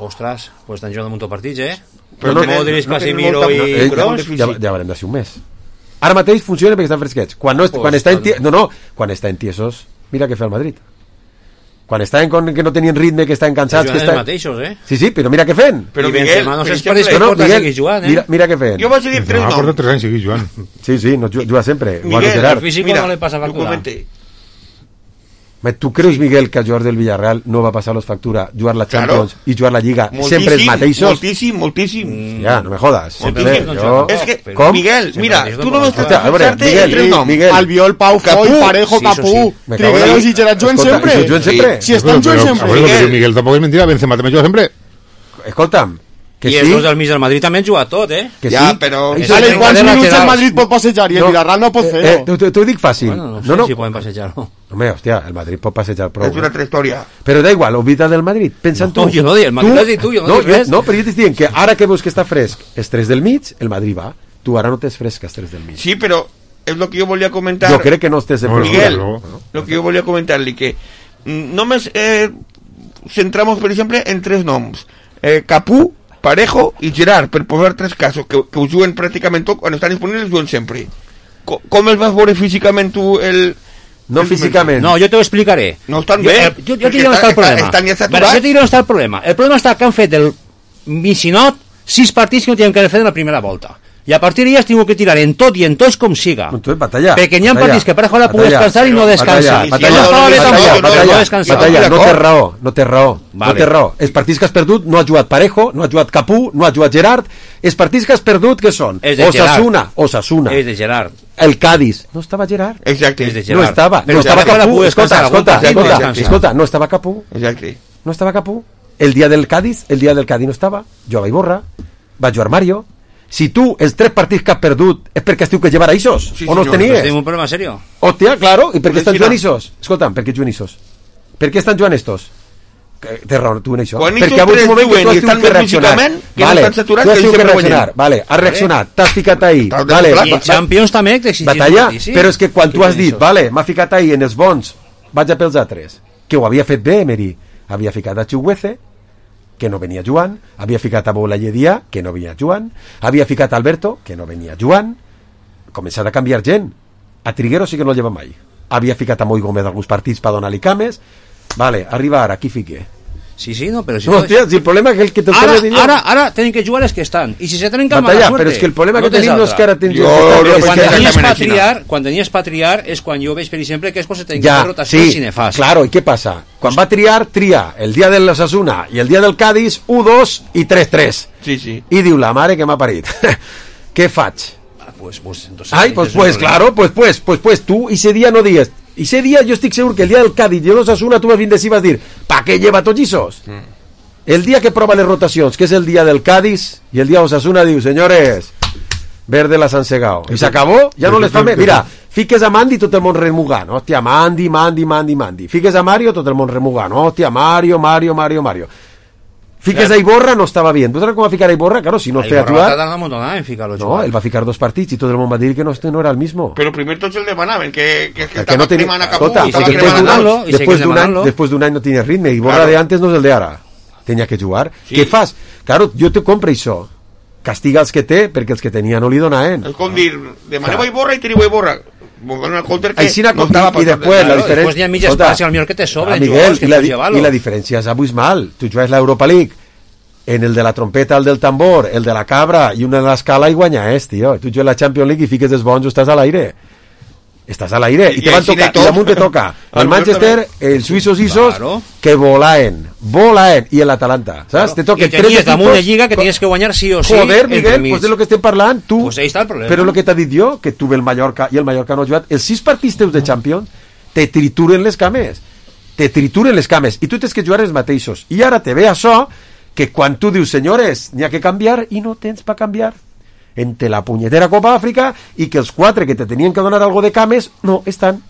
Ostres, pues estan jugant un munt de partits, Però Modric, Casemiro i Kroos. Ja haurem de ser un mes. Ara mateix funciona perquè estan fresquets. Quan està en tiesos, mira què fa el Madrid. Quan estaven que no tenien ritme, que estaven cansats, que estaven... mateixos, Sí, però mira què fent. Però Miguel, no sé per què porta seguir jugant, Mira què fent. Jo vaig dir 3 noms. Porta 3 anys seguir jugant. Sí, no juga sempre. Miguel, el físic no le passa factura. Tu creus, Miguel, que els jugadors del Villarreal no va passar-los factura, jugar la Champions i jugar la Lliga sempre els mateixos? Moltíssim. Ja, no me jodas. És que, Miguel, mira, tu no m'estàs pensant-te en 3 noms. Albiol, Pau, Foy, Parejo, Capú, Trigueros i Gerard juguen sempre. Si estan jugant sempre. Miguel tampoc és mentira, Benzema també juga sempre. escolta'm, que I sí. els dos del mig del Madrid també han jugat tot, Que ja, sí. però... Vale, quants minuts el Madrid pot passejar i el Villarreal no pot fer-ho? T'ho dic fàcil. Bueno, no sé si poden passejar-ho. Home, hòstia, el Madrid pot passejar prou. És una altra història. Però da igual, oblida del Madrid. Pensa en tu. No, jo no dic, el Madrid has dit tu, jo no dic res. No, però jo t'estic dient que ara que veus que està fresc els 3 del mig, el Madrid va. Tu ara no tens fresc els 3 del mig. Sí, però és el que jo volia comentar. Jo crec que no estés en Miguel, lo que yo volia comentar-li, que només centramos, per exemple, en 3 noms. Capú, Parejo i Gerard, per posar 3 casos, que ho juguen pràcticament tot, quan estan disponibles juguen sempre. Com els vas veure físicament tu No físicament. No, jo t'ho explicaré. No estan bé. Jo t'ho diré on està el problema. Estan ja Jo saturats. t'ho diré on està el problema. El problema està que han fet el Misinot 6 partits que no tenen que haver fet en la primera volta. I a partir d'ahí has tingut que tirar en tot i en tots com siga. Perquè n'hi ha partits que Parejo la pugui descansar i no descansa. Batalla, no té raó. Els partits que has perdut no ha jugat Parejo, no ha jugat Capú, no ha jugat Gerard. Els partits que has perdut, què són? Osasuna. És de Gerard. El Cádiz. No estava Gerard. Exacte. No estava Capú. Escolta, no estava Capú. Exacte. No estava Capú. El dia del Cádiz no estava. Jugava Iborra. Va jugar Mario. Si tu els 3 partits que has perdut és perquè estiu que llevar a Isos, o no els tenies? Tenim un problema serio. Hòstia, claro, i per què estan jugant Isos? Escolta'm, per què juguen Isos? Per què estan jugant estos? Té raó, tu en això. Perquè ha hagut un moment que tu has tingut que reaccionar. Vale, tu has tingut que reaccionar. Vale, has reaccionat, t'has ficat ahí. Vale, i en Champions també t'exigim. Batalla, però és que quan tu has dit, vale, m'ha ficat ahí en els bons, vaig a pels altres, que ho havia fet bé, Emery. Havia ficat a Chuguece, que no venia Joan, havia ficat a Boulayedia, que no venia Joan, havia ficat a Alberto, que no venia Joan, començat a canviar gent. A Triguero sí que no el lleva mai. Havia ficat a Moi Gómez alguns partits per donar-li cames. Vale, arriba ara, qui fique? Sí, no, però si... No, hòstia, si el problema és que te'l torno a dir... Ara tenen que jugar els que estan. I si se tenen que mala suerte... Però és que el problema que tenim no és que ara tens... Quan tenies per triar és quan jo veig, per exemple, que és quan se tenen que fer rotacions i nefas. Claro, i què passa? Quan va tria el dia de l'Osasuna i el dia del Cádiz, 1-2 i 3-3. Sí. I diu, la mare que m'ha parit. Què faig? Pues, claro, tu ese día no dies. Y ese día yo estoy seguro que el día del Cádiz y el Osasuna tú vas bien decir, vas a decir, ¿para qué lleva tots esos? El día que prueba las rotaciones, que es el día del Cádiz y el día de Osasuna, diu, señores, verde las han segado. Y se acabó, ya no les fa més. Mira, fiques a Mandi tot el món remugant. Hòstia, Mandi. Fiques a Mario tot el món remugant. Hòstia, Mario. Fiques a Iborra, no estava bien. ¿Tú sabes cómo va a ficar a Iborra? Claro, si no feia jugar... No, él va a ficar 2 partits y todo el mundo va a decir que no era el mismo. Però primer tots el demanaven, que estava no cremant a Capú. Después d'un any no tenia ritme. Iborra de antes no és el de ara. Tenia que jugar. Què fas? Claro, jo te compro això. Castiga els que té, perquè els que tenia no li donaven. És com dir, demaneu a Iborra i teniu a Iborra. Y después la diferencia n'hi ha mitja espaci al millor que te sobren Miguel, y la diferencia es abismal. Tu juegas la Europa League en el de la trompeta, el del tambor, el de la cabra y una de l'escala i guanya tío. Tu juegas la Champions League y fiques els bons, estàs a l'aire y te van tocar, y damunt te toca el Manchester, el suïssos Isos que volaen y el Atalanta, ¿sabes? Te toca i tenies damunt de Lliga que tenies que guanyar sí o sí. Joder, Miguel, pues de lo que estem parlant tu, pues ahí está el problema. Però lo que t'ha dit jo, que tu ve el Mallorca i el Mallorca no ha jugat, els 6 partits teus de Champions te trituren les cames i tu tens que jugar els mateixos i ara te ve això que quan tu dius, senyores, n'hi ha que canviar i no tens per canviar entre la punyetera Copa Àfrica i que els 4 que te tenien que donar algo de cames no estan.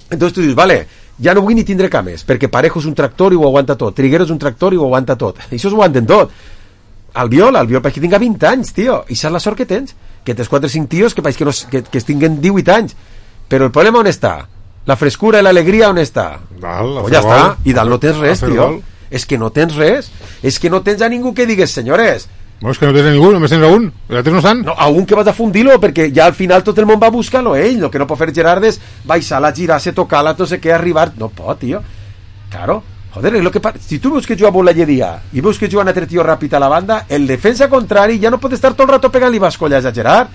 Entonces tu dius, vale, ja no vull ni tindre cames perquè Parejo és un tractor i ho aguanta tot, Triguero és un tractor i ho aguanta tot, això ho aguanten tot. Albiol perquè tinga 20 anys, tio, i saps la sort que tens, que tens 4 o 5 tios que es tinguen 18 anys, però el problema on està? La frescura i l'alegria on està? Pues ja està, i dalt no tens res, tio. És que no tens res, és que no tens a ningú que digues, senyores. No, és que no tens a ningú, només tens a un. Els altres no estan. No, a un que vas a fundir-lo, perquè ja al final tot el món va a buscar-lo ell. El que no pot fer Gerard és baixar-la, girar-se, tocar-la, no sé què, arribar. No pot, tio. Claro. Joder, es lo que si tu veus que juga Boulayedia i veus que juga un altre tio ràpid a la banda, el defensa contrari ja no pot estar tot el rato pegant-li bascolles a Gerard,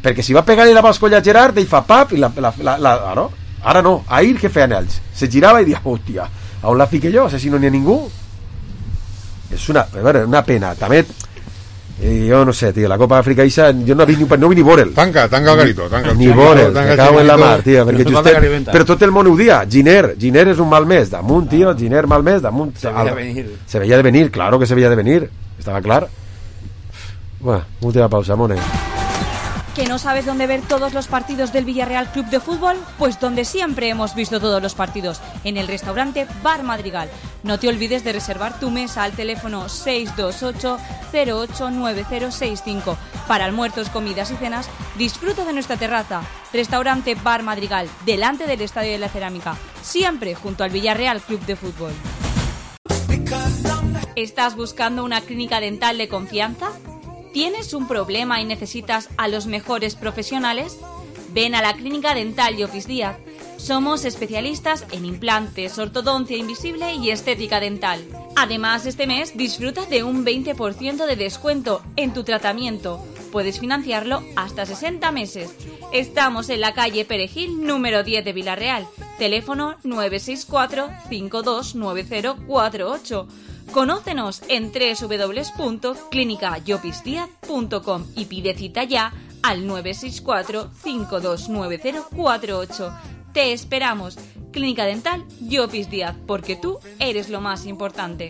perquè si va pegar-li la bascolla a Gerard, ell fa pap i ara no, ahir què feien ells? Se girava i dia, hòstia, on la fique jo? Si no n'hi ha ningú. És una pena. També Yo no sé, tío, la Copa África Isa, yo no vi ni vorel. Tanca el garito, ni vorel, me cago en la mar, tío, perquè però tot el món ho dia. Giner és un mal mes damunt, tío, Giner mal mes damunt. Se veía de venir, claro que se veía de venir, estaba clar. Bueno, última pausa, Mone. ¿Que no sabes dónde ver todos los partidos del Villarreal Club de Fútbol? Pues donde siempre hemos visto todos los partidos, en el restaurante Bar Madrigal. No te olvides de reservar tu mesa al teléfono 628-089065. Para almuerzos, comidas y cenas, disfruta de nuestra terraza. Restaurante Bar Madrigal, delante del Estadio de la Cerámica, siempre junto al Villarreal Club de Fútbol. ¿Estás buscando una clínica dental de confianza? ¿Tienes un problema y necesitas a los mejores profesionales? Ven a la Clínica Dental Llopis Díaz. Somos especialistas en implantes, ortodoncia invisible y estética dental. Además, este mes disfruta de un 20% de descuento en tu tratamiento. Puedes financiarlo hasta 60 meses. Estamos en la calle Perejil, número 10 de Villarreal. Teléfono 964-529048. Conócenos en www.clinicayopisdiaz.com y pide cita ya al 964-529048. Te esperamos. Clínica Dental Llopis Díaz, porque tú eres lo más importante.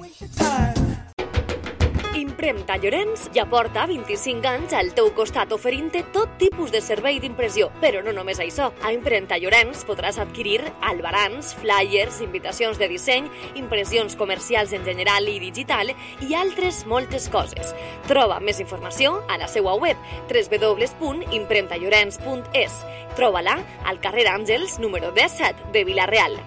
Impremta Llorenç ja porta 25 anys al teu costat oferint-te tot tipus de servei d'impressió. Però no només això. A Impremta Llorenç podràs adquirir albarans, flyers, invitacions de disseny, impressions comercials en general i digital i altres moltes coses. Troba més informació a la seva web www.impremtallorens.es. Troba-la al carrer Àngels, número 17 de Vila-real.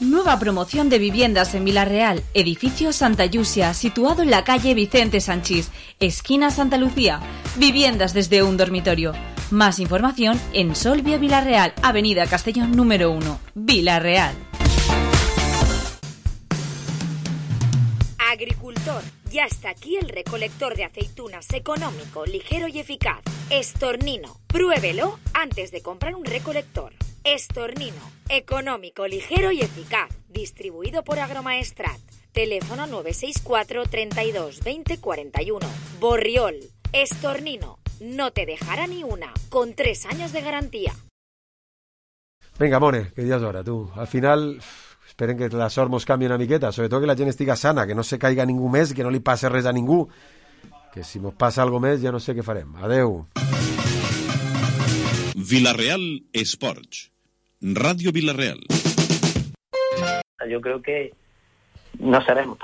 Nueva promoción de viviendas en Vila-real, edificio Santa Llucia, situado en la calle Vicente Sanchís, esquina Santa Lucía. Viviendas desde un dormitorio. Más información en Solvia Vila-real, avenida Castellón número 1, Vila-real. Agricultor, ya está aquí el recolector de aceitunas económico, ligero y eficaz. Estornino, pruébelo antes de comprar un recolector. Estornino, económico, ligero y eficaz. Distribuido por Agromaestrat. Teléfono 964 32 20 41. Borriol, Estornino, no te dejará ni una, con 3 años de garantía. Venga, Mone, que ya es hora, tú. Al final, esperen que la sort mos canvi una miqueta, sobre todo que la gent estiga sana, que no se caiga ningú més, que no li passe res a ningú, que si mos passa algo més ja no sé què farem. Adeu. Villarreal Sports. Radio Villarreal. Yo creo que no seremos